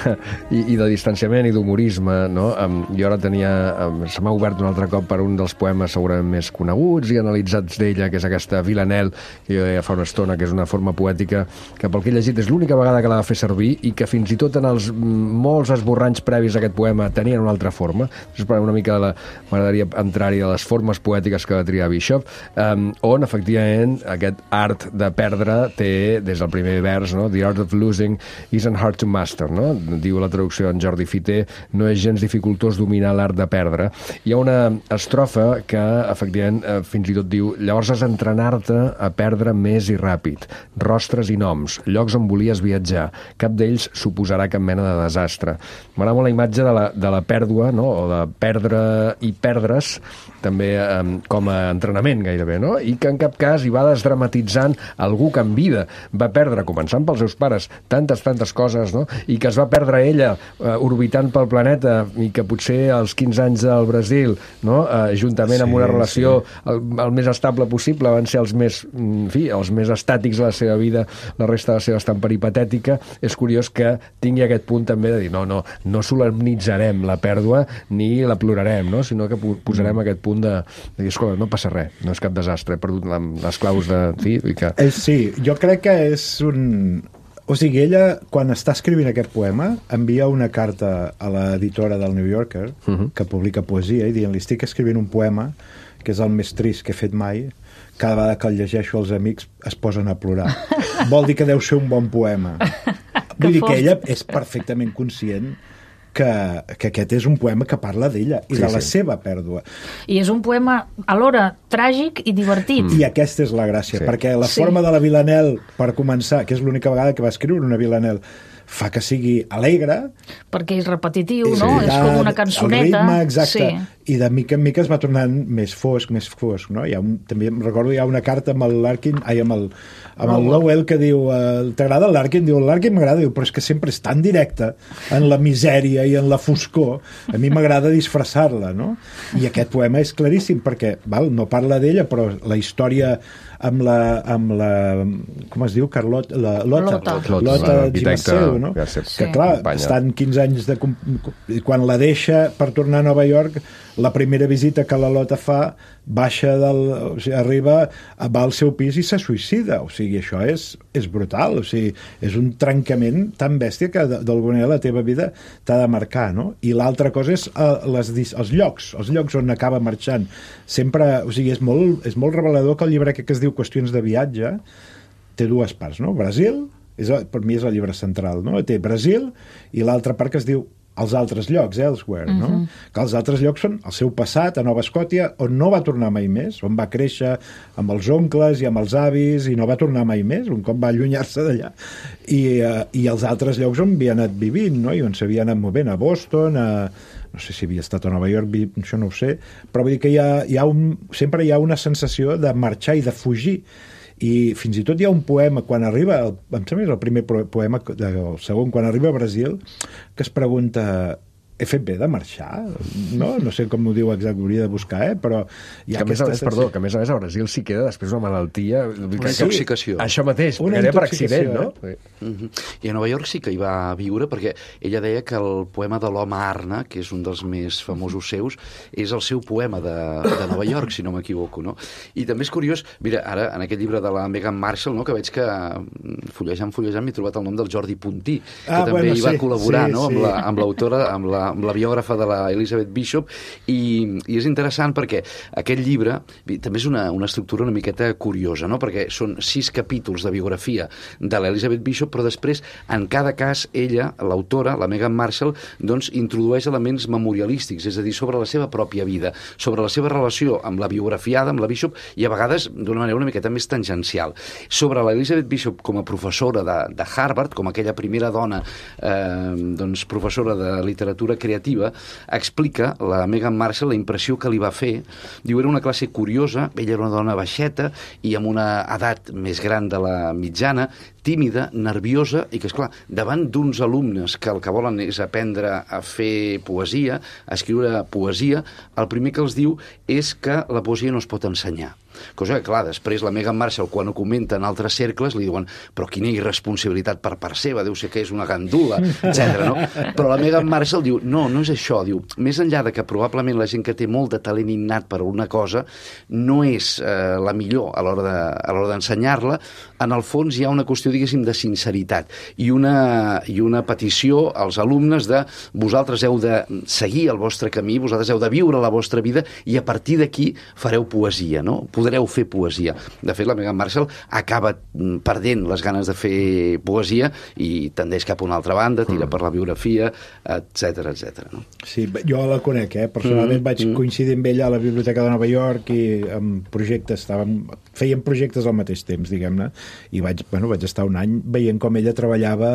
i, i de distanciament i d'humorisme, no? Um, jo ara tenia... Um, se m'ha obert un altre cop per un dels poemes segurament més coneguts i analitzats d'ella, que és aquesta Villanelle, que jo deia fa una estona, que és una forma poètica que pel que he llegit és l'única vegada que l'ha de fer servir i que fins i tot en els molts esborranys previs a aquest poema tenien una altra forma. Després, per una mica de m'agradaria entrar-hi a les formes poètiques que va triar Bishop, um, on efectivament aquest art de perdre té des del primer vers, no? The art of losing isn't hard to master, no? Diu la traducció en Jordi Fiter, no és gens dificultós dominar l'art de perdre. Hi ha una estrofa que efectivament eh, fins i tot diu: llavors has d'entrenar-te a perdre més i ràpid, rostres i noms, llocs on volies viatjar, cap d'ells suposarà cap mena de desastre. M'agrada molt la imatge de la, de la pèrdua, no? O de perdre i perdre's també eh, com a entrenament gairebé, no? I que en cap cas hi va desdramatitzant algú que en vida va perdre, començant pels seus pares, tantes, tantes coses, no? I que es va perdre ella eh, orbitant pel planeta i que potser als quinze anys del Brasil, no? Eh, juntament sí, amb una relació sí. el, el més estable possible, van ser els més, en fi, els més estàtics de la seva vida, la resta de la seva estan peripatètica. És curiós que tingui aquest punt també de dir no, no, no solemnitzarem la pèrdua ni la plorarem, no? Sinó que posarem aquest punt de, de dir, escolta, no passa res, no és cap desastre, he perdut la, les claus de... Sí, i que... eh, sí, jo crec que és un... O sigui, ella, quan està escrivint aquest poema, envia una carta a l'editora del New Yorker, uh-huh. que publica poesia, i dient-li, estic escrivint un poema que és el més trist que he fet mai, cada vegada que el llegeixo els amics es posen a plorar. Vol dir que deu ser un bon poema. Vull dir que ella és perfectament conscient que, que aquest és un poema que parla d'ella i sí, de la sí. seva pèrdua. I és un poema alhora tràgic i divertit. Mm. I aquesta és la gràcia, sí. perquè la sí. forma de la Villanelle, per començar, que és l'única vegada que va escriure una Villanelle, fa que sigui alegre. Perquè és repetitiu, sí. no? És com una cançoneta. El ritme, exacte. Sí. I de mica en mica es va tornant més fosc, més fosc, no? Hi ha un, també em recordo, hi ha una carta amb el Larkin, ai, amb el, amb el Lowell, que diu, eh, t'agrada el Larkin? Diu, el Larkin m'agrada, diu, però és que sempre és tan directe en la misèria i en la foscor, a mi m'agrada disfressar-la, no? I aquest poema és claríssim, perquè, val, no parla d'ella, però la història amb la, amb la com es diu, Carlota, la Lota, Lota, Lota Gimaseu, no? Sí. Que clar, estan quinze anys de... Quan la deixa per tornar a Nova York, la primera visita que la Lota fa, baixa del... O sigui, arriba, va al seu pis i se suïcida. O sigui, això és, és brutal. O sigui, és un trencament tan bèstia que d'alguna manera la teva vida t'ha de marcar, no? I l'altra cosa és uh, les, els llocs, els llocs on acaba marxant. Sempre, o sigui, és molt, és molt revelador que el llibre que es diu Qüestions de viatge té dues parts, no? Brasil, és, per mi és el llibre central, no? Té Brasil i l'altra part que es diu els altres llocs, elsewhere, no? Uh-huh. Que els altres llocs són el seu passat a Nova Escòcia, on no va tornar mai més, on va créixer amb els oncles i amb els avis i no va tornar mai més, un cop va allunyar-se d'allà. I, uh, I els altres llocs on havia anat vivint, no? I on s'havia anat movent, a Boston, a... no sé si havia estat a Nova York, això no ho sé, però vull dir que hi ha, hi ha un, sempre hi ha una sensació de marxar i de fugir. I fins i tot hi ha un poema quan arriba, el, em sembla que és el primer poema, el segon, quan arriba a Brasil, que es pregunta, he fet bé de marxar? No, no sé com ho diu exacte, hauria de buscar, eh? Però hi ha que, a més a més, perdó, que a més a més a Brasil s'hi queda després una malaltia... Una intoxicació. Això mateix, una perquè per accident, no? Eh? Uh-huh. I a Nova York sí que hi va viure, perquè ella deia que el poema de l'home Arna, que és un dels més famosos seus, és el seu poema de, de Nova York, si no m'equivoco, no? I també és curiós, mira, ara, en aquest llibre de la Meghan Markle, no?, que veig que fullejant, fullejant, m'he trobat el nom del Jordi Puntí, que ah, també bueno, hi va sí, col·laborar, sí, no?, sí. amb l'autora, la, amb la amb la biògrafa de la Elizabeth Bishop, i, i és interessant perquè aquest llibre també és una, una estructura una miqueta curiosa, no? Perquè són sis capítols de biografia de l'Elizabeth Bishop, però després, en cada cas, ella, l'autora, la Meghan Markle, doncs, introdueix elements memorialístics, és a dir, sobre la seva pròpia vida, sobre la seva relació amb la biografiada, amb la Bishop, i a vegades d'una manera una miqueta més tangencial. Sobre l'Elizabeth Bishop com a professora de, de Harvard, com aquella primera dona eh, doncs, professora de literatura creativa, explica la Meghan Markle la impressió que li va fer. Diu, era una classe curiosa, ella era una dona baixeta i amb una edat més gran de la mitjana, tímida, nerviosa, i que, esclar, davant d'uns alumnes que el que volen és aprendre a fer poesia, a escriure poesia, el primer que els diu és que la poesia no es pot ensenyar. Cosa que, clar, després la Meghan Markle, quan ho comenta en altres cercles, li diuen però quina irresponsabilitat per part seva, deu ser que és una gandula, etcètera. No? Però la Meghan Markle diu, no, no és això, diu, més enllà de que probablement la gent que té molt de talent innat per una cosa no és eh, la millor a l'hora de, a l'hora d'ensenyar-la, en el fons hi ha una qüestió, diguéssim, de sinceritat i una, i una petició als alumnes de vosaltres heu de seguir el vostre camí, vosaltres heu de viure la vostra vida i a partir d'aquí fareu poesia, no? Podreu fer poesia. De fet, la Meghan Markle acaba perdent les ganes de fer poesia i tendeix cap a una altra banda, tira mm. per la biografia, etcètera, etcètera. No? Sí, jo la conec, eh? Personalment mm. vaig mm. coincidir amb ella a la Biblioteca de Nova York i amb projectes, estàvem, fèiem projectes al mateix temps, diguem-ne, i vaig, bueno, vaig estar un any veient com ella treballava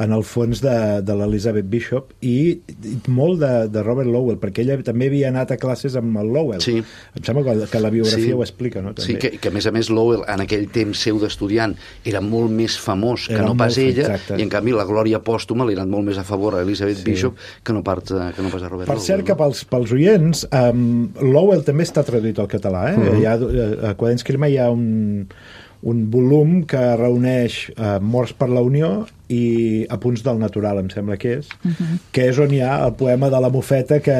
en el fons de, de l'Elizabeth Bishop i, i molt de, de Robert Lowell, perquè ella també havia anat a classes amb el Lowell. Sí. Em sembla que, que la biografia sí. ho explica, no? També. Sí, que, que a més a més Lowell en aquell temps seu d'estudiant era molt més famós que era no pas ella, exacte. I en canvi la glòria pòstuma li ha anat molt més a favor a Elizabeth sí. Bishop que no, part, que no pas a Robert per Lowell. Per cert, que pels, pels oients, um, Lowell també està traduït al català, eh? Uh-huh. Hi ha, a Quaderns Crema hi ha un, un volum que reuneix uh, Morts per la Unió i Apunts del Natural, em sembla que és, uh-huh. que és on hi ha el poema de la mofeta que,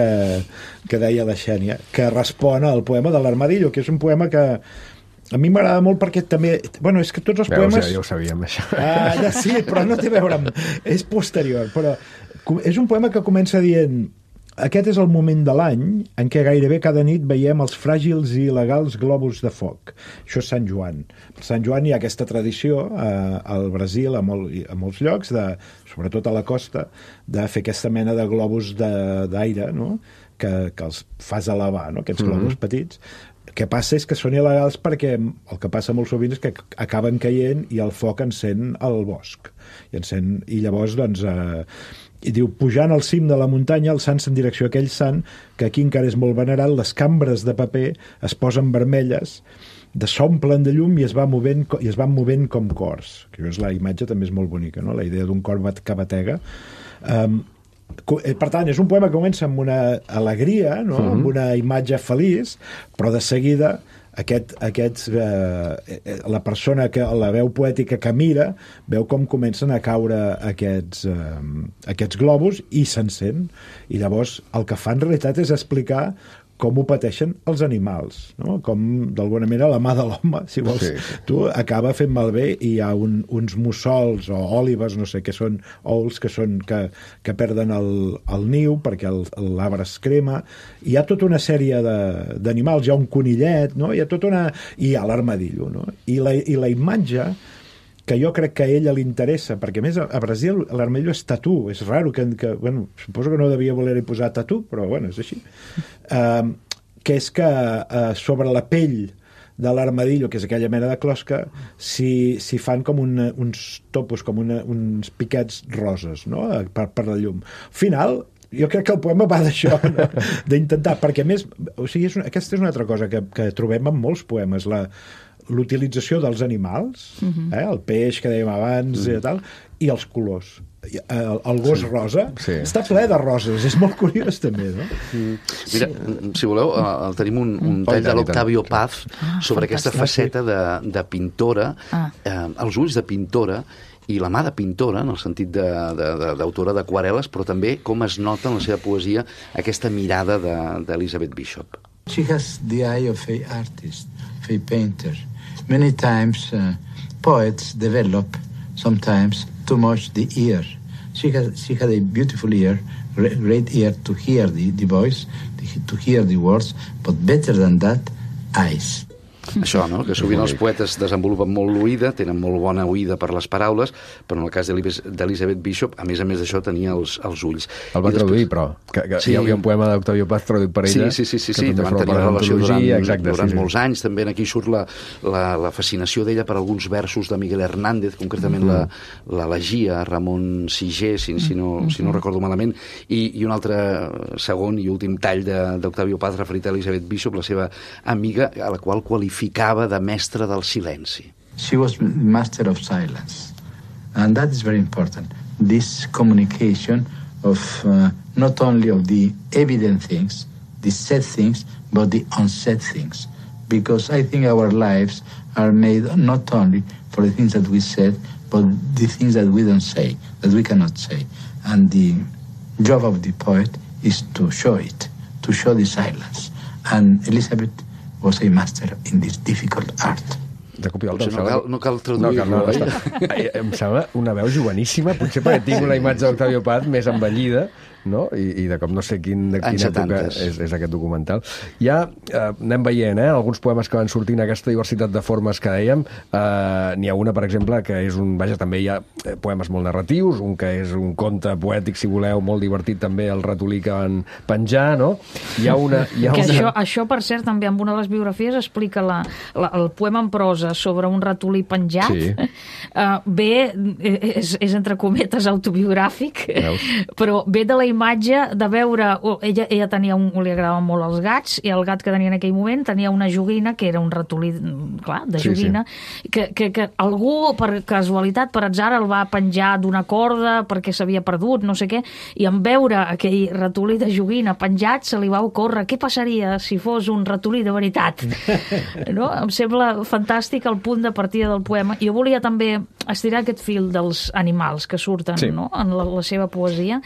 que deia la Xènia, que respon al poema de l'Armadillo, que és un poema que a mi m'agrada molt perquè també... Bueno, és que tots els Veus, poemes... Ja, ja ho sabíem, això. Ah, ja sí, però no té a veure amb... És posterior, però és un poema que comença dient aquest és el moment de l'any en què gairebé cada nit veiem els fràgils i il·legals globus de foc. Això és Sant Joan. Per Sant Joan hi ha aquesta tradició eh, al Brasil, a, molt, a molts llocs, de, sobretot a la costa, de fer aquesta mena de globus d'aire, no? que, que els fas elevar, no? Aquests globus mm-hmm. petits. El que passa és que són il·legals perquè el que passa molt sovint és que acaben caient i el foc encén el bosc. I, encén, i llavors, doncs... Eh, i diu, pujant al cim de la muntanya, alçant-se en direcció a aquell sant, que aquí encara és molt venerat, les cambres de paper es posen vermelles, s'omplen de llum i es, va movent, i es van movent com cors. Que la imatge també és molt bonica, no? La idea d'un cor que batega. Um, per tant, és un poema que comença amb una alegria, no? Mm-hmm. Amb una imatge feliç, però de seguida aquest, aquests, eh, la persona que la veu poètica que mira veu com comencen a caure aquests, eh, aquests globus i s'encén, i llavors el que fa en realitat és explicar com ho pateixen els animals, no? Com d'alguna manera la mà de l'home, si vols, sí. tu acaba fent malbé i hi ha un, uns mussols o òlibes, no sé què són, ous que, són, que, que perden el, el niu perquè l'arbre es crema. Hi ha tota una sèrie d'animals, hi ha un conillet, no? Hi ha tota una... i hi ha l'armadillo, no? I la, i la imatge que jo crec que a ella li interessa, perquè a més a Brasil l'armadillo és tatú, és raro que, que bueno, suposo que no devia voler-hi posar tatú, però bueno, és així, uh, que és que uh, sobre la pell de l'armadillo, que és aquella mena de closca, s'hi si fan com una, uns topos, com una, uns piquets roses, no?, per, per la llum. Al final, jo crec que el poema va d'això, no? D'intentar, perquè a més, o sigui, és una, aquesta és una altra cosa que, que trobem en molts poemes, la l'utilització dels animals, uh-huh. eh, el peix que dèiem abans uh-huh. i tal, i els colors. El, el gos sí. rosa sí. està ple de roses, és molt curiós també, no? Mm. Mira, sí. si voleu, uh, tenim un, un mm. tall de l'Octavio Paz ah, sobre aquesta faceta de, de pintora, ah. eh, els ulls de pintora i la mà de pintora, en el sentit d'autora d'aquarel·les, però també com es nota en la seva poesia aquesta mirada d'Elizabeth Bishop. She has the eye of a artist, of a painter. Many times uh, poets develop, sometimes, too much the ear, She had, she had a beautiful ear, great ear to hear the, the voice, to hear the words, but better than that, eyes. Això, no? Que sovint els poetes desenvolupen molt l'oïda, tenen molt bona oïda per les paraules, però en el cas d'Elizabeth Bishop, a més a més d'això, tenia els, els ulls. El va traduir, però, que, que sí. Hi havia un poema d'Octavio Paz traduït per ella. Sí, sí, sí, sí, que sí. Van tenir relació durant, exacte, durant sí, sí. molts anys. També aquí surt la, la, la fascinació d'ella per alguns versos de Miguel Hernández, concretament mm-hmm. l'elegia a Ramon Siger, si, si, no, mm-hmm. si no recordo malament, i, i un altre segon i últim tall d'Octavio Paz referit a Elizabeth Bishop, la seva amiga, a la qual qualificava de mestre del silenci. She was master of silence, and that is very important. This communication of uh, not only of the evident things, the said things, but the unsaid things. Because I think our lives are made not only for the things that we said, but the things that we don't say, that we cannot say. And the job of the poet is to show it, to show the silence. And Elizabeth was a master in this difficult art. Jacob, no, cal, no cal traduir-lo, no, cal, no, no, em sembla una veu joveníssima, potser perquè tinc una imatge d'Octavio Paz més envellida, no? I, i de com no sé quin, de quina època és, és aquest documental. Ja eh, anem veient, eh, alguns poemes que van sortint, aquesta diversitat de formes que dèiem. Eh, n'hi ha una, per exemple, que és un... Vaja, també hi ha poemes molt narratius, un que és un conte poètic, si voleu, molt divertit també, el ratolí que van penjar, no? Hi ha una... Hi ha que una... Això, això, per cert, també en una de les biografies explica la, la, el poema en prosa sobre un ratolí penjat. Sí. Uh, bé, és, és entre cometes autobiogràfic, Veus? Però ve de la imatge de veure... Oh, ella, ella tenia un, li agradaven molt els gats, i el gat que tenia en aquell moment tenia una joguina, que era un ratolí, clar, de joguina, sí, sí. Que, que, que algú, per casualitat, per atzar, el va penjar d'una corda perquè s'havia perdut, no sé què, i en veure aquell ratolí de joguina penjat se li va ocórrer què passaria si fos un ratolí de veritat. No? Em sembla fantàstic el punt de partida del poema. Jo volia també estirar aquest fil dels animals que surten, sí, no? En la, la seva poesia.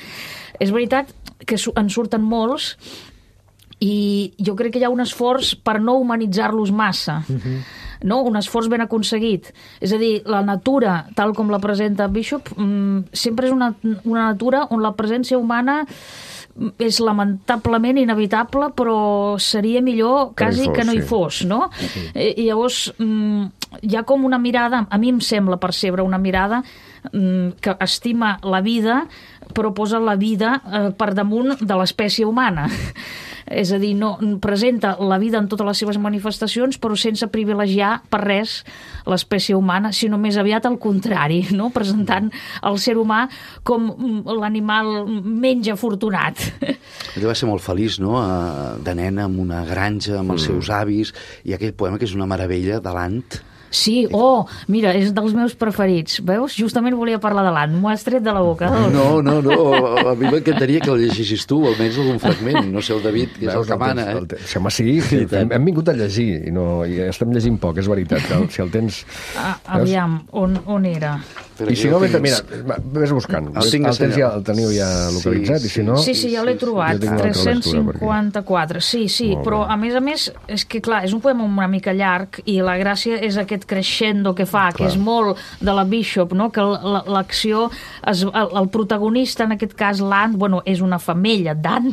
És veritat que en surten molts i jo crec que hi ha un esforç per no humanitzar-los massa. Uh-huh. No? Un esforç ben aconseguit. És a dir, la natura, tal com la presenta Bishop, sempre és una, una natura on la presència humana és lamentablement inevitable, però seria millor quasi que, fos, que no hi fos, no? Sí. I llavors hi ha com una mirada, a mi em sembla percebre una mirada que estima la vida, però posa la vida per damunt de l'espècie humana. És a dir, no, presenta la vida en totes les seves manifestacions, però sense privilegiar per res l'espècie humana, sinó més aviat al contrari, no? Presentant el ser humà com l'animal menys afortunat. Ella va ser molt feliç, no?, de nena, amb una granja, amb els mm. seus avis, i aquell poema que és una meravella, de l'Ant. Sí, oh, mira, és dels meus preferits. Veus? Justament volia parlar de l'Ant. M'ho has tret de la boca. No, no, no. A mi m'encantaria que el llegissis tu, almenys algun fragment. No sé, el David, que és Veus, el que mana, eh? El home, sí, sí, hem, hem vingut a llegir i, no, i estem llegint poc, és veritat. Que si el tens... Ah, aviam, on, on era? Però I si no, tinc... mira, vés buscant. El, el, tens ja, el teniu ja localitzat, sí, sí. I si no... Sí, sí, ja l'he trobat. tres-cents cinquanta-quatre. Sí, sí, però a més a més, és que clar, és un poema una mica llarg i la gràcia és aquest crescendo que fa, clar, que és molt de la Bishop, no? Que l'acció, el, el protagonista, en aquest cas l'Ant, bueno, és una femella d'Ant,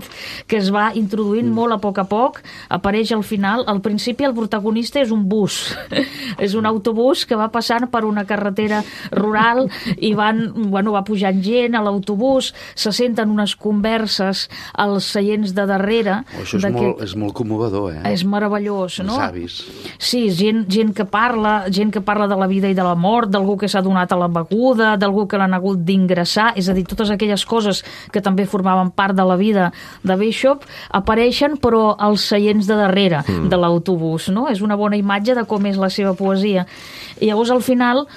que es va introduint mm. molt a poc a poc, apareix al final, al principi el protagonista és un bus, és un autobús que va passant per una carretera rural i van, bueno, va pujant gent a l'autobús, se senten unes converses als seients de darrere. Oh, això és molt, és molt commovedor, eh? És meravellós, no? Els avis. Sí, gent, gent que parla, gent que parla de la vida i de la mort, d'algú que s'ha donat a la beguda, d'algú que l'han hagut d'ingressar, és a dir, totes aquelles coses que també formaven part de la vida de Bishop apareixen, però als seients de darrere mm. de l'autobús, no? És una bona imatge de com és la seva poesia. I llavors, al final,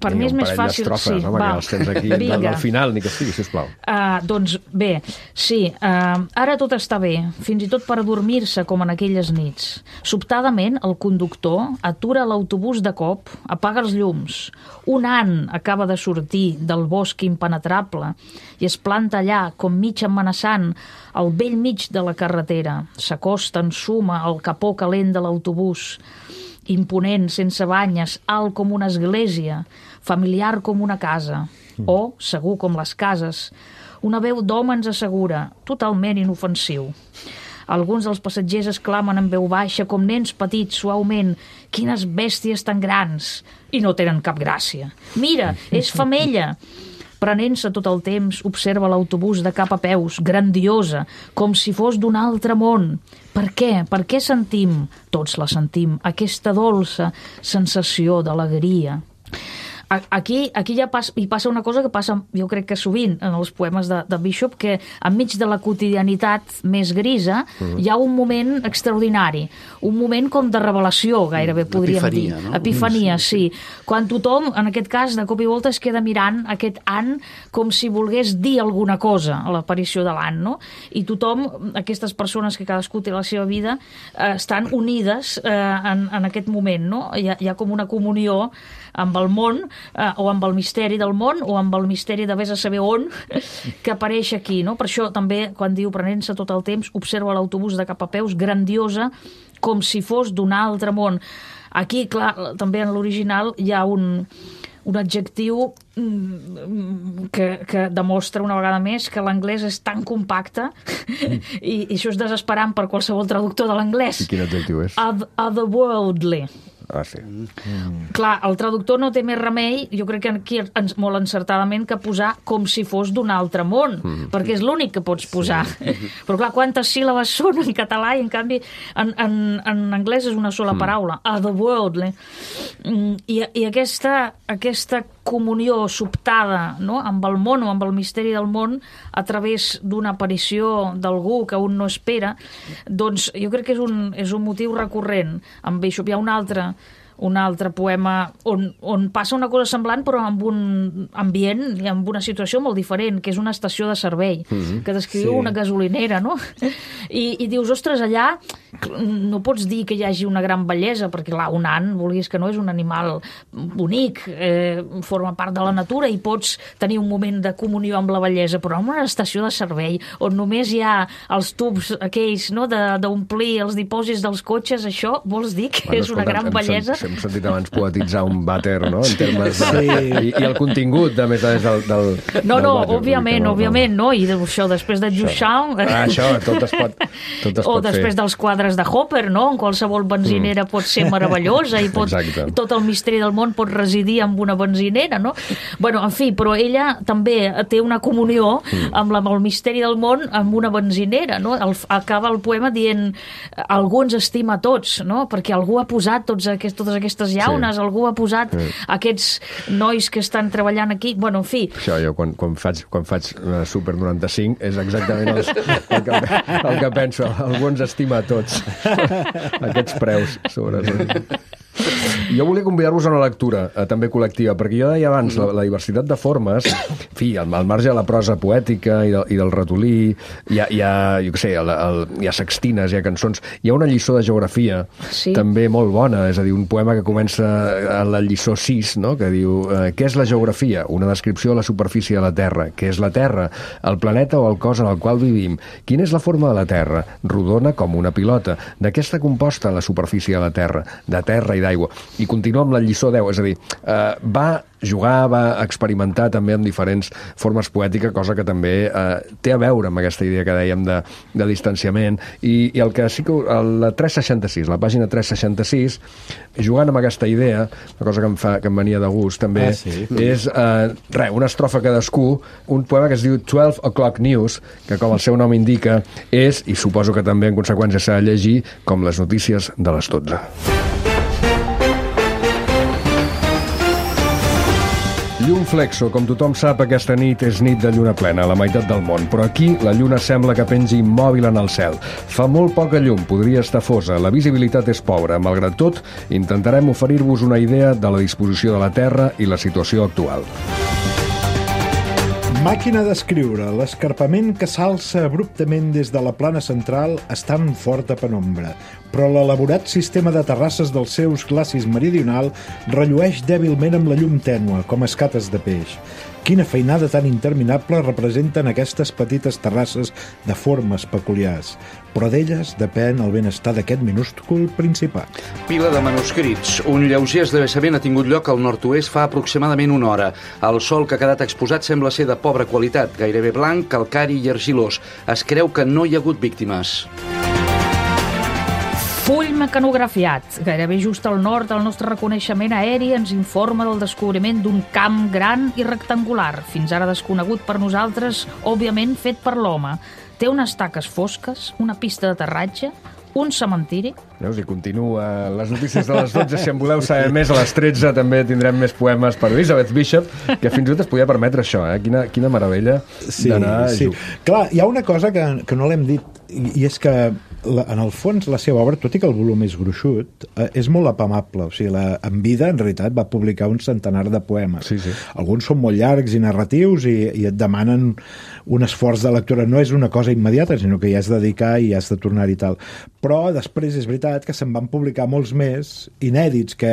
per mi és més fàcil... Sí, no? Va. Els tens aquí del, del final, ni que sigui, sisplau. Uh, doncs bé, sí, uh, ara tot està bé, fins i tot per dormir-se com en aquelles nits. Sobtadament, el conductor atura l'autobús de cop, apaga els llums. Un ant acaba de sortir del bosc impenetrable i es planta allà, com mig amenaçant, al vell mig de la carretera. S'acosta en suma al capó calent de l'autobús imponent, sense banyes, alt com una església, familiar com una casa, o segur com les cases. Una veu d'home ens assegura, totalment inofensiu. Alguns dels passatgers exclamen en veu baixa, com nens petits, suaument, quines bèsties tan grans, i no tenen cap gràcia. Mira, és femella! Prenent-se tot el temps, observa l'autobús de cap a peus, grandiosa, com si fos d'un altre món. Per què? Per què sentim, tots la sentim, aquesta dolça sensació d'alegria? Aquí, aquí ja passa, hi passa una cosa que passa, jo crec que sovint, en els poemes de, de Bishop, que enmig de la quotidianitat més grisa mm. hi ha un moment extraordinari, un moment com de revelació, gairebé podríem Epifania, dir. No? Epifania, sí. sí. Quan tothom, en aquest cas, de cop i volta es queda mirant aquest ant com si volgués dir alguna cosa a l'aparició de l'ant, no? I tothom, aquestes persones que cadascú té la seva vida, eh, estan unides eh, en, en aquest moment, no? Hi ha, hi ha com una comunió amb el món, eh, o amb el misteri del món, o amb el misteri de vés a saber on, que apareix aquí, no? Per això també, quan diu prenent-se tot el temps, observa l'autobús de cap a peus, grandiosa, com si fos d'un altre món. Aquí, clar, també en l'original hi ha un, un adjectiu que, que demostra una vegada més que l'anglès és tan compacte i, i això és desesperant per qualsevol traductor de l'anglès. I quin adjectiu és? Otherworldly. Ah, sí. Mm. Clar, el traductor no té més remei, jo crec que aquí ens, molt encertadament, que posar com si fos d'un altre món, mm. perquè és l'únic que pots posar. Sí. Però clar, quantes síl·labes són en català i en canvi en, en, en anglès és una sola mm. paraula, otherworldly. I, i aquesta, aquesta comunió sobtada, no?, amb el món o amb el misteri del món a través d'una aparició d'algú que un no espera, doncs jo crec que és un, és un motiu recurrent. Amb Bishop hi ha un altre un altre poema on, on passa una cosa semblant però amb un ambient i amb una situació molt diferent, que és una estació de servei, mm-hmm. que descriu sí. una gasolinera, no? I, i dius, ostres, allà no pots dir que hi hagi una gran bellesa, perquè clar, un ant, vulguis que no, és un animal bonic, eh, forma part de la natura i pots tenir un moment de comunió amb la bellesa, però en una estació de servei on només hi ha els tubs aquells, no?, d'omplir els dipòsits dels cotxes, això vols dir que bueno, és una gran bellesa? Hem sentit abans poetitzar un vàter, no?, en termes de... Sí. I, i el contingut, a més a més, del, del No, del no, vàter, òbviament, no, òbviament, no, i això, després de Duchamp... Ah, això, tot es pot, tot es o pot després fer. dels quadres de Hopper, no?, en qualsevol benzinera mm. pot ser meravellosa i pot, tot el misteri del món pot residir en una benzinera, no? Bueno, en fi, però ella també té una comunió mm. amb, la, amb el misteri del món amb una benzinera, no? El, acaba el poema dient algú ens estima a tots, no?, perquè algú ha posat tots aquests, totes aquestes llaunes, sí. algú ha posat sí. aquests nois que estan treballant aquí, bueno, en fi. Això jo quan, quan faig, quan faig Super noranta-cinc és exactament els, el, que, el que penso, algú ens estima a tots aquests preus sobretot. Jo volia convidar-vos a una lectura eh, també col·lectiva, perquè jo deia abans la, la diversitat de formes, en fi, al, al marge de la prosa poètica i, de, i del ratolí, hi ha, hi ha, jo què sé, el, el, hi ha sextines, hi ha cançons, hi ha una lliçó de geografia sí. també molt bona, és a dir, un poema que comença a la lliçó sis, no?, que diu, eh, què és la geografia? Una descripció de la superfície de la Terra. Què és la Terra? El planeta o el cos en el qual vivim. Quina és la forma de la Terra? Rodona com una pilota. De què està composta la superfície de la Terra? De terra i d'aigua. I continua amb la lliçó deu, és a dir, eh, va jugar, va experimentar també amb diferents formes poètiques, cosa que també eh, té a veure amb aquesta idea que dèiem de, de distanciament, i, i el que sí que la tres seixanta-sis, la pàgina tres seixanta-sis, jugant amb aquesta idea, una cosa que em, fa, que em venia de gust també, ah, sí. és eh, res, una estrofa cadascú, un poema que es diu twelve o'clock news, que com el seu nom indica és, i suposo que també en conseqüència s'ha de llegir, com les notícies de les dotze. Llum flexo, com tothom sap, aquesta nit és nit de lluna plena, a la meitat del món, però aquí la lluna sembla que pengi immòbil en el cel. Fa molt poca llum, podria estar fosa, la visibilitat és pobra. Malgrat tot, intentarem oferir-vos una idea de la disposició de la Terra i la situació actual. Màquina d'escriure. L'escarpament que s'alça abruptament des de la plana central està en forta penombra. però l'elaborat sistema de terrasses dels seus glacis meridional rellueix dèbilment amb la llum tènua, com escates de peix. Quina feinada tan interminable representen aquestes petites terrasses de formes peculiars, però d'elles depèn el benestar d'aquest minúscul principat. Pila de manuscrits. Un lleuger esdeveniment ha tingut lloc al nord-oest fa aproximadament una hora. El sòl que ha quedat exposat sembla ser de pobra qualitat, gairebé blanc, calcari i argilós. Es creu que no hi ha hagut víctimes. Full mecanografiat, gairebé just al nord del nostre reconeixement aeri, ens informa del descobriment d'un camp gran i rectangular, fins ara desconegut per nosaltres, òbviament fet per l'home. Té unes taques fosques, una pista d'aterratge, un cementiri. Veus, i continua les notícies de les dotze. Si en voleu saber més, a les tretze també tindrem més poemes per Elizabeth Bishop, que fins i tot es podia permetre això, eh? Quina, quina meravella sí, d'anar sí. a jugar. Clar, hi ha una cosa que, que no l'hem dit, i, i és que la, en el fons la seva obra, tot i que el volum és gruixut, eh, és molt apamable. O sigui, la, en vida, en realitat, va publicar un centenar de poemes. Sí, sí. Alguns són molt llargs i narratius i, i et demanen un esforç de lectura. No és una cosa immediata, sinó que hi has de dedicar i has de tornar i tal. Però després és veritat que se'n van publicar molts més inèdits, que,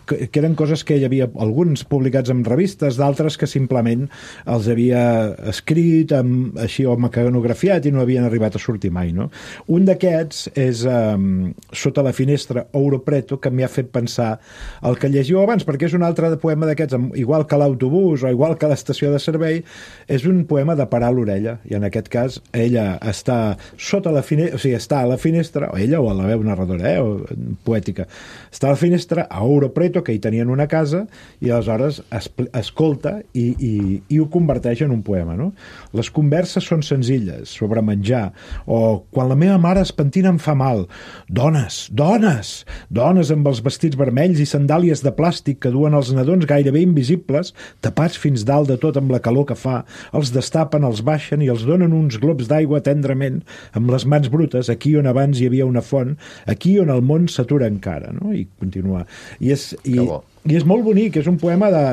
que, que eren coses que hi havia alguns publicats en revistes, d'altres que simplement els havia escrit amb, així o mecanografiat i no havien arribat a sortir mai, no? Un d'aquests és um, Sota la finestra, Ouro Preto, que m'hi ha fet pensar el que llegiu abans, perquè és un altre poema d'aquests, igual que l'autobús o igual que l'estació de servei, és un poema de parar l'orella, i en aquest cas ella està sota la finestra, o sigui, està a la finestra, o ella o a la veu narradora, eh, o poètica, està a la finestra a Ouro Preto, que hi tenien una casa, i aleshores es, escolta i, i, i ho converteix en un poema, no? Les converses són senzilles, sobre menjar, o quan la meva mare es pentina em fa mal. Dones, dones, dones amb els vestits vermells i sandàlies de plàstic que duen els nadons gairebé invisibles, tapats fins dalt de tot amb la calor que fa, els destapen, els baixen i els donen uns globs d'aigua tendrament, amb les mans brutes, aquí on abans hi havia una font, aquí on el món s'atura encara, no? I continua. I és, i, i és molt bonic, és un poema de...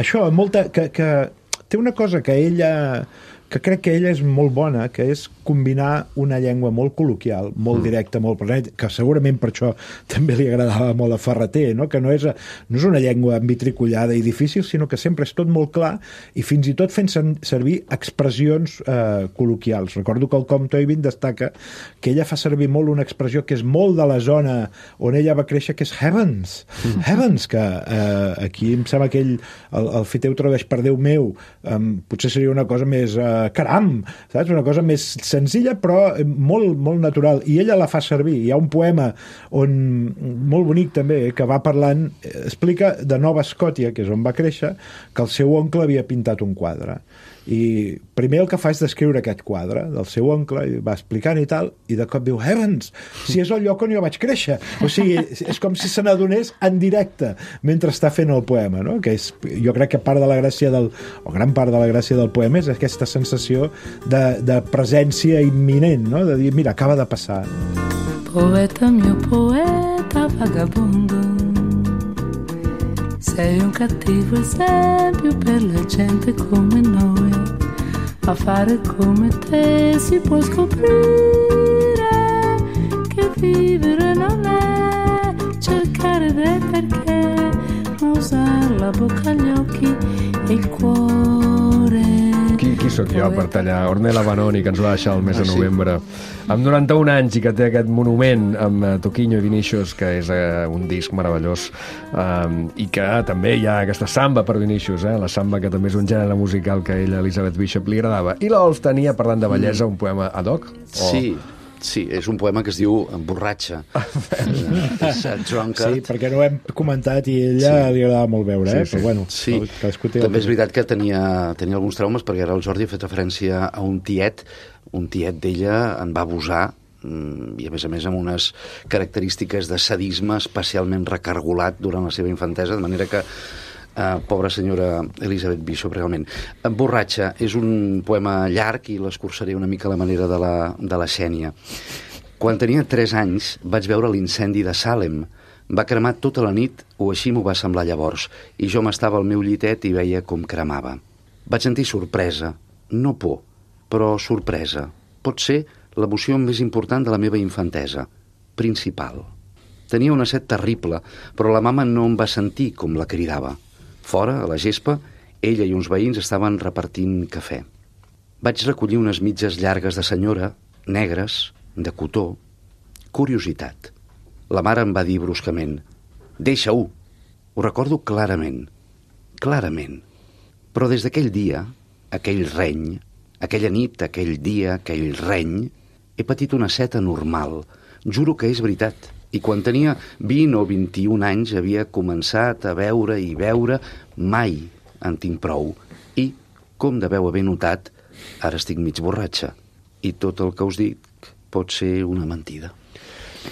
Això, molta, que, que té una cosa que ella... que crec que ella és molt bona, que és combinar una llengua molt col·loquial, molt directa, molt present, que segurament per això també li agradava molt a Ferreter, no? Que no és, no és una llengua envitricollada i difícil, sinó que sempre és tot molt clar i fins i tot fent servir expressions eh, col·loquials. Recordo que el Comte Oivin destaca que ella fa servir molt una expressió que és molt de la zona on ella va créixer, que és heavens. Mm. Heavens, que eh, aquí em sembla que ell, el, el Fiteu tradueix per Déu meu, eh, potser seria una cosa més... Eh, caram, saps? Una cosa més senzilla però molt, molt natural, i ella la fa servir. Hi ha un poema on, molt bonic també, que va parlant, explica de Nova Escòcia, que és on va créixer, que el seu oncle havia pintat un quadre, i primer el que fa és descriure aquest quadre del seu oncle, i va explicant i tal, i de cop diu, heavens, si és el lloc on jo vaig créixer. O sigui, és com si se n'adonés en directe mentre està fent el poema, no? Que és, jo crec que part de la gràcia del, o gran part de la gràcia del poema és aquesta sensació de, de presència imminent, no? De dir, mira, acaba de passar. Poeta, mio poeta vagabondo, sei un cattivo esempio per la gente come noi. A fare come te si può scoprire che vivere non è cercare del perché, ma usare la bocca, gli occhi e il cuore. Qui, qui sóc jo per tallar? Ornella Vanoni, que ens va deixar el mes de novembre, amb noranta-un anys, i que té aquest monument amb uh, Toquinho i Vinícius, que és uh, un disc meravellós, um, i que també hi ha aquesta samba per Vinícius, eh? La samba, que també és un gènere musical que a ella, Elizabeth Bishop, li agradava. I l'Ols tenia, parlant de bellesa, un poema ad hoc? O... Sí, sí, és un poema que es diu Borratxa. Sí, perquè no ho hem comentat i ella sí. li agradava molt veure, eh? Sí, sí. Però bueno, sí. També és veritat que tenia, tenia alguns traumes, perquè ara el Jordi ha fet referència a un tiet, un tiet d'ella en va abusar, i a més a més amb unes característiques de sadisme especialment recargolat durant la seva infantesa, de manera que Uh, pobra senyora Elizabeth Bishop, realment. Borratxa és un poema llarg i l'escurçaré una mica a la manera de la, de la Xènia. Quan tenia tres anys vaig veure l'incendi de Salem. Va cremar tota la nit, o així m'ho va semblar llavors, i jo m'estava al meu llitet i veia com cremava. Vaig sentir sorpresa, no por, però sorpresa. Pot ser l'emoció més important de la meva infantesa. principal. Tenia una set terrible, però la mama no em va sentir com la cridava. Fora, a la gespa, ella i uns veïns estaven repartint cafè. Vaig recollir unes mitges llargues de senyora, negres, de cotó. Curiositat. La mare em va dir bruscament: «Deixa-ho!» Ho recordo clarament, clarament. Però des d'aquell dia, aquell reny, aquella nit, aquell dia, aquell reny, he patit una set anormal. Juro que és veritat. I quan tenia vint o vint-i-un anys havia començat a veure i veure, mai en tinc prou. I, com deveu haver notat, ara estic mig borratxa. I tot el que us dic pot ser una mentida.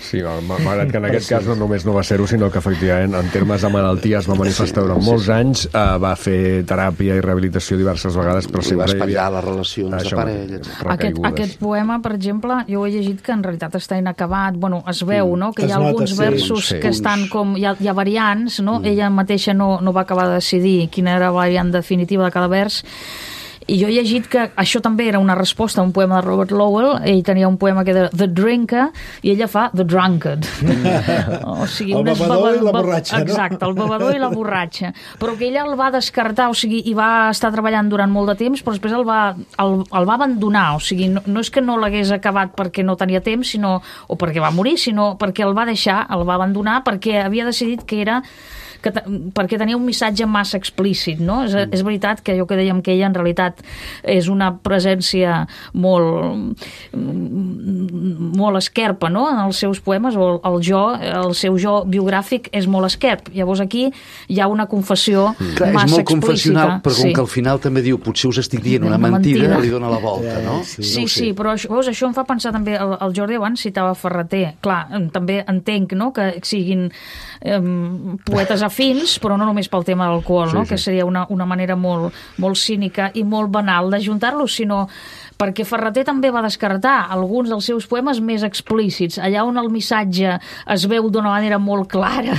Sí, malgrat que en aquest cas no només no va ser-ho, sinó que efectivament en termes de malaltia es va manifestar durant molts anys, eh, va fer teràpia i rehabilitació diverses vegades, però sempre va espatllar hi havia... les relacions de parella. Aquest, aquest poema, per exemple, jo he llegit que en realitat està inacabat. Bueno, es veu, no?, que hi ha alguns versos que estan com... Hi ha, hi ha variants, no? Mm. Ella mateixa no, no va acabar de decidir quina era la variant definitiva de cada vers. I jo he llegit que això també era una resposta a un poema de Robert Lowell. Ell tenia un poema que era The Drinker i ella fa The Drunkard. O sigui, el bevedor i la borratxa, no? Exacte, el bevedor i la borratxa. Però que ella el va descartar, o sigui, i va estar treballant durant molt de temps, però després el va, el, el va abandonar. O sigui, no, no és que no l'hagués acabat perquè no tenia temps, sinó, o perquè va morir, sinó perquè el va deixar, el va abandonar, perquè havia decidit que era... Que, perquè tenia un missatge massa explícit, no? És, mm. és veritat que allò que dèiem que ella en realitat és una presència molt molt esquerpa, no?, en els seus poemes, o el jo, el seu jo biogràfic és molt esquerp. Llavors aquí hi ha una confessió mm. Clar, massa és molt explícita. confessional, però com sí. que al final també diu potser us estic dient una, una mentida, mentida, li dona la volta, no? Sí, sí, no sí, però això, veus, això em fa pensar també, el, el Jordi abans citava Ferrater. Clar, també entenc, no?, que siguin eh, poetes afins, però no només pel tema de l'alcohol, sí, no? Sí. Que seria una, una manera molt, molt cínica i molt banal d'ajuntar-los, sinó perquè Ferrater també va descartar alguns dels seus poemes més explícits, allà on el missatge es veu d'una manera molt clara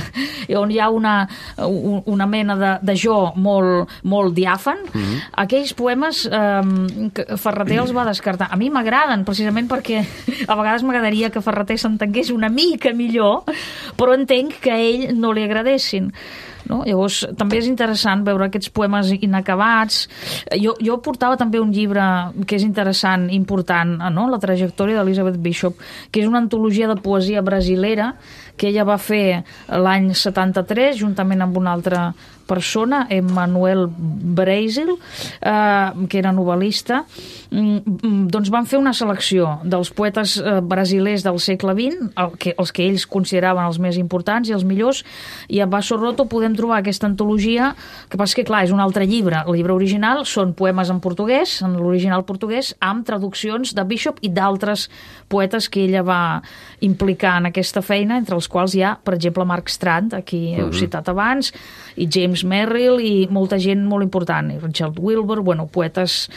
i on hi ha una, una mena de, de jo molt, molt diàfan. Mm-hmm. Aquells poemes eh, Ferrater els va descartar. A mi m'agraden, precisament perquè a vegades m'agradaria que Ferrater s'entengués una mica millor, però entenc que a ell no li agradessin. No? Llavors, també és interessant veure aquests poemes inacabats. Jo, jo portava també un llibre que és interessant, important, no?, la trajectòria d'Elizabeth Bishop, que és una antologia de poesia brasilera que ella va fer l'any setanta-tres, juntament amb una altra persona, Emmanuel Brasil, eh, que era novel·lista. Mm, doncs van fer una selecció dels poetes eh, brasilers del segle vint, el que, els que ells consideraven els més importants i els millors, i a Basso Roto podem trobar aquesta antologia, que passa que, clar, és un altre llibre. El llibre original són poemes en portuguès, en l'original portuguès, amb traduccions de Bishop i d'altres poetes que ella va implicar en aquesta feina, entre els quals hi ha, per exemple, Mark Strand, aquí heu uh-huh. citat abans, i James Merrill, i molta gent molt important, i Richard Wilbur, bueno, poetes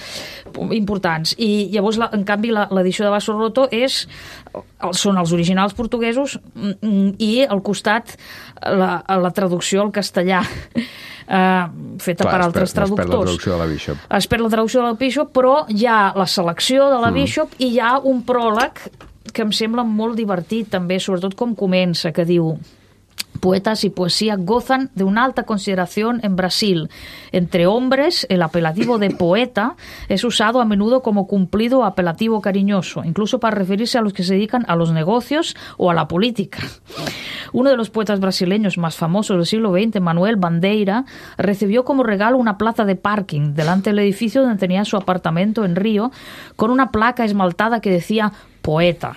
importants. I llavors, la, en canvi, l'edició de Basso Roto és, són els originals portuguesos i al costat la, la traducció al castellà Uh, feta Clar, per altres per, traductors. Es perd la traducció de la Bishop. Es perd la traducció de la Bishop, però hi ha la selecció de la mm. Bishop i hi ha un pròleg que em sembla molt divertit també, sobretot com comença, que diu: poetas y poesía gozan de una alta consideración en Brasil. Entre hombres, el apelativo de poeta es usado a menudo como cumplido apelativo cariñoso, incluso para referirse a los que se dedican a los negocios o a la política. Uno de los poetas brasileños más famosos del siglo veinte, Manuel Bandeira, recibió como regalo una plaza de parking delante del edificio donde tenía su apartamento en Río, con una placa esmaltada que decía poeta,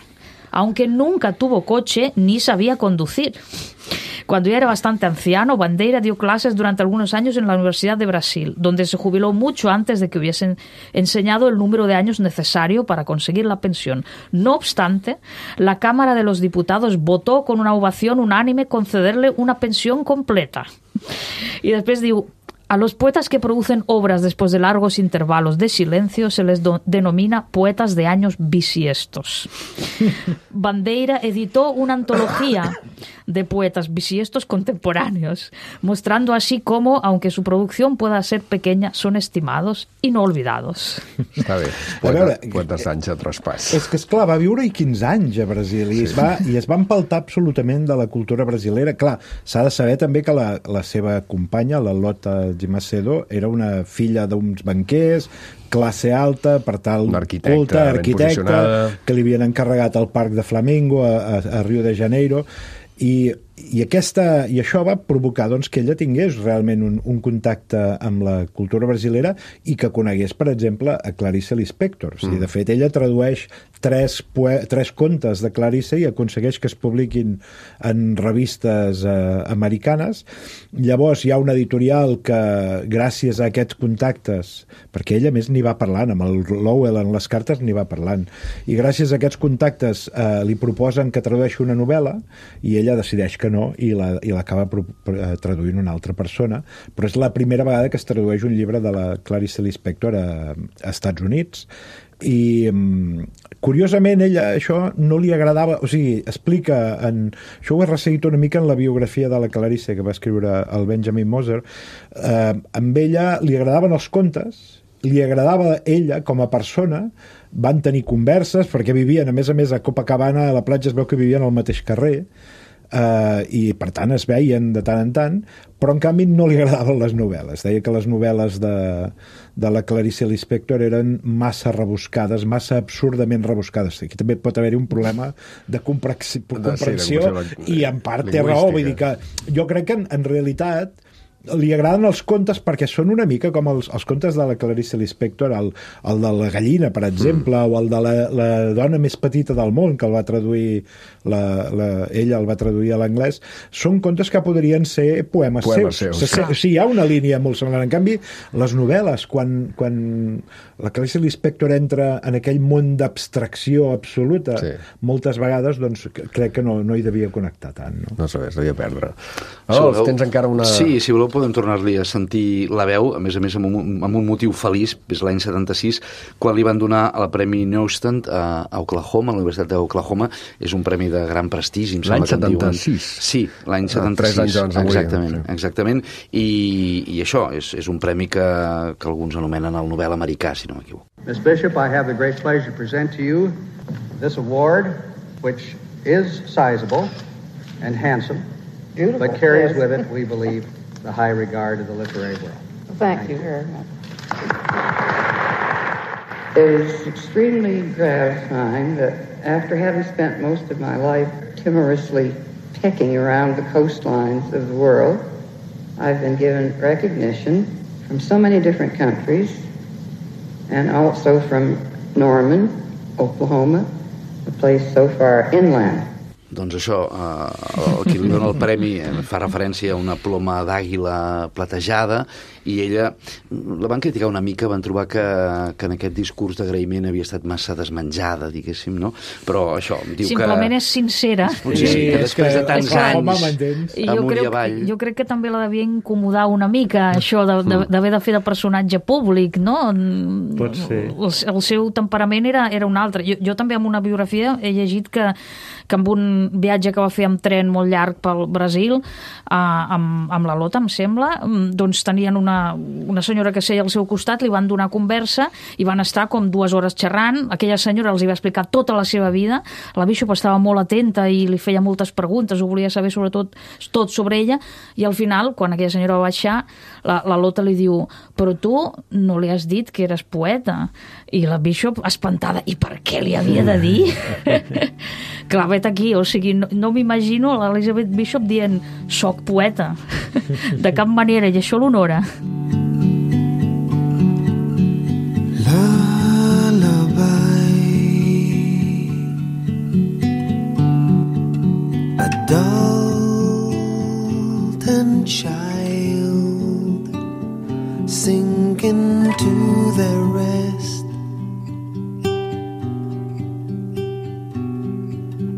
aunque nunca tuvo coche ni sabía conducir. Cuando ya era bastante anciano, Bandeira dio clases durante algunos años en la Universidad de Brasil, donde se jubiló mucho antes de que hubiesen enseñado el número de años necesario para conseguir la pensión. No obstante, la Cámara de los Diputados votó con una ovación unánime concederle una pensión completa. I després diu: A los poetas que producen obras después de largos intervalos de silencio se les do- denomina poetas de años bisiestos. Bandeira editó una antología de poetas bisiestos contemporáneos, mostrando así cómo, aunque su producción pueda ser pequeña, son estimados y no olvidados. Està bé. Poeta, poeta Sancho Traspàs. És que, esclar, va viure-hi quinze anys a Brasil i, sí. es va, i es va empaltar absolutament de la cultura brasilera. Clar, s'ha de saber també que la, la seva companya, la Lota de Macedo, era una filla d'uns banquers, classe alta, per tal, arquitecta, culta, arquitecta, que li havien encarregat el Parc de Flamengo a, a, a Rio de Janeiro, i, i, aquesta, i això va provocar doncs, que ella tingués realment un, un contacte amb la cultura brasilera i que conegués, per exemple, a Clarice Lispector. O sigui, de fet, ella tradueix tres, poe tres contes de Clarice i aconsegueix que es publiquin en revistes eh, americanes. Llavors hi ha una editorial que, gràcies a aquests contactes, perquè ella més n'hi va parlant, amb el Lowell en les cartes n'hi va parlant, i gràcies a aquests contactes eh, li proposen que tradueixi una novel·la i ella decideix que no i l'acaba la, traduint una altra persona, però és la primera vegada que es tradueix un llibre de la Clarice Lispector a, a Estats Units. I curiosament ella això no li agradava, o sigui, explica en, això ho he resseguit una mica en la biografia de la Clarice que va escriure el Benjamin Moser. Eh, amb ella li agradaven els contes, li agradava ella com a persona, van tenir converses perquè vivien, a més a més, a Copacabana, a la platja es veu que vivien al mateix carrer, Uh, i per tant es veien de tant en tant, però en canvi no li agradaven les novel·les. Deia que les novel·les de, de la Clarice Lispector eren massa rebuscades, massa absurdament rebuscades. Aquí també pot haver-hi un problema de comprensió, comprensió i en part té raó. Vull dir que jo crec que en, en realitat li agraden els contes perquè són una mica com els, els contes de la Clarice Lispector, el, el de la gallina, per exemple, mm. o el de la, la dona més petita del món, que el va traduir la, la, ella el va traduir a l'anglès. Són contes que podrien ser poemes, poemes seus. seus. O sigui, hi ha una línia molt semblant. En canvi, les novel·les, quan, quan la Clarice Lispector entra en aquell món d'abstracció absoluta, sí. moltes vegades doncs, crec que no, no hi devia connectar tant. No, no sabés, devia perdre. Adolf, si tens encara una... Sí, si voleu podem tornar-li a sentir la veu, a més a més amb un, amb un motiu feliç, és l'any setanta-sis, quan li van donar el Premi Neustadt a, a Oklahoma, a la Universitat d'Oklahoma. És un premi de gran prestigi. L'any setanta-sis? Sí, l'any setanta-sis. Tres anys abans d'avui. Exactament, sí. exactament. I, i això, és, és un premi que, que alguns anomenen el Nobel americà, si no m'equivoco. Miss Bishop, I have the great pleasure to present to you this award, which is sizable and handsome, Beautiful. But carries with it, we believe, the high regard of the literary world. Thank, Thank you very much. It is extremely gratifying that after having spent most of my life timorously pecking around the coastlines of the world, I've been given recognition from so many different countries and also from Norman, Oklahoma, a place so far inland. Doncs això, eh, el qui li dona el premi fa referència a una ploma d'àguila platejada i ella la van criticar una mica, van trobar que, que en aquest discurs d'agraïment havia estat massa desmenjada, diguéssim, no? Però això, diu Simplement que... Simplement és sincera. Potser sí, que després de tants anys amunt i avall... Jo crec que també la devia incomodar una mica, això d'haver de, de fer de personatge públic, no? Pot ser. El, el seu temperament era, era un altre. Jo, jo també en una biografia he llegit que, que amb un viatge que va fer amb tren molt llarg pel Brasil, eh, amb, amb la Lota, em sembla, doncs tenien una, una senyora que seia al seu costat, li van donar conversa i van estar com dues hores xerrant. Aquella senyora els hi va explicar tota la seva vida. La Bishop estava molt atenta i li feia moltes preguntes, ho volia saber sobretot tot sobre ella, i al final, quan aquella senyora va baixar, la, la Lota li diu: però tu no li has dit que eres poeta? I la Bishop, espantada, i per què li havia de dir? Clar, vet aquí, o sigui, no, no m'imagino l'Elizabeth Bishop dient soc poeta. De cap manera, i això l'honora. Lullaby, adult and child sinking to their rest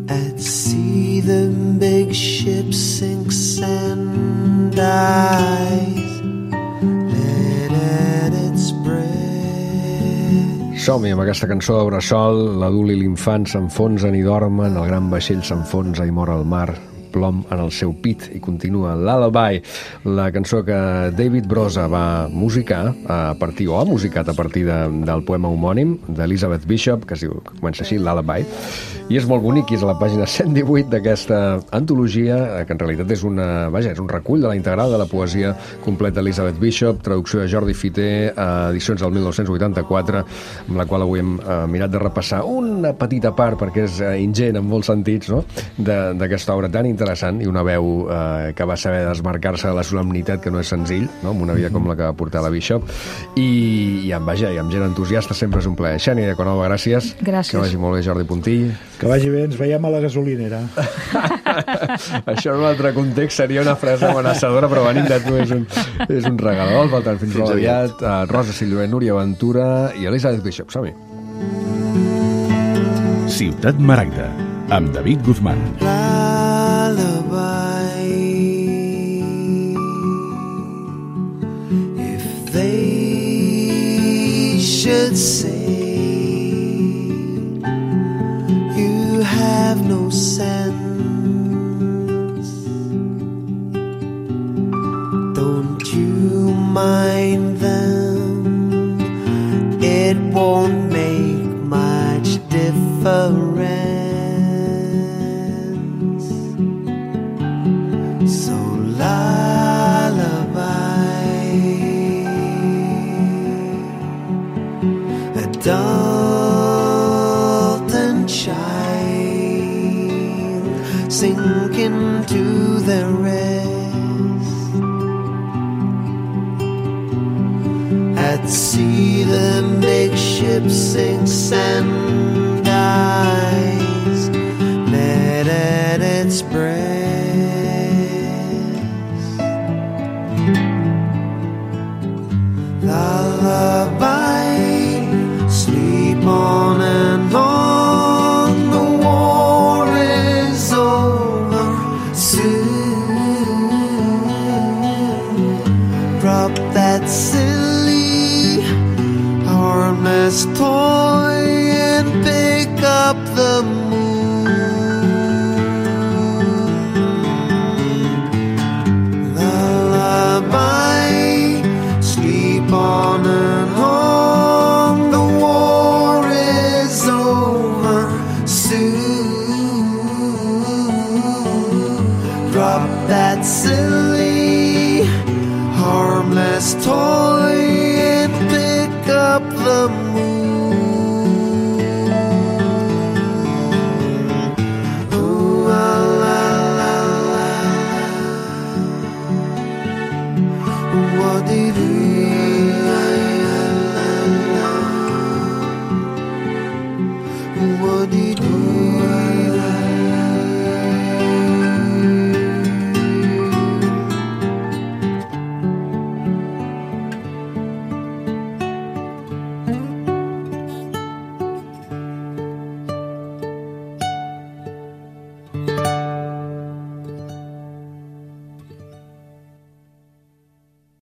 at sea. The big ship sinks and dies Som-hi amb aquesta cançó de Bressol. L'adult i l'infant s'enfonsen i dormen, el gran vaixell s'enfonsa i mor al mar, plom en el seu pit, i continua Lullaby, la cançó que David Broza va musicar a partir, o ha musicat a partir de, del poema homònim d'Elizabeth Bishop, que es diu, que comença així, Lullaby, i és molt bonic, i és a la pàgina cent divuit d'aquesta antologia, que en realitat és una, vaja, és un recull de la integral de la poesia completa d'Elizabeth Bishop, traducció de Jordi Fité, edicions del mil nou-cents vuitanta-quatre, amb la qual avui hem eh, mirat de repassar una petita part, perquè és eh, ingent en molts sentits, no?, d'aquesta obra tan interessant interessant, i una veu eh, que va saber desmarcar-se de la solemnitat, que no és senzill, no?, amb una vida com la que va portar la Bishop, i, i amb, vaja, i amb gent entusiasta sempre és un plaer. Xènia Diaconova, gràcies. Gràcies. Que vagi molt bé, Jordi Puntill. Que vagi bé, ens veiem a la gasolinera. Això en un altre context seria una frase amenaçadora, però venint de tu és un, és un regal. Per tant, fins, fins aviat. Uh, Rosa Silloé, Núria Ventura i Elizabeth Bishop. Som-hi. Ciutat Maragda, amb David Guzmán. They should say you have no sense. Don't you mind them? It won't make much difference. So Dalton child sink into the rest. At sea the big ship sinks and dies, net at its breast. Lullaby, on and on, the war is over soon. Drop that silly, harmless toy and pick up the moon. Lullaby, sleep on and on. Drop that silly, harmless toy and pick up the moon.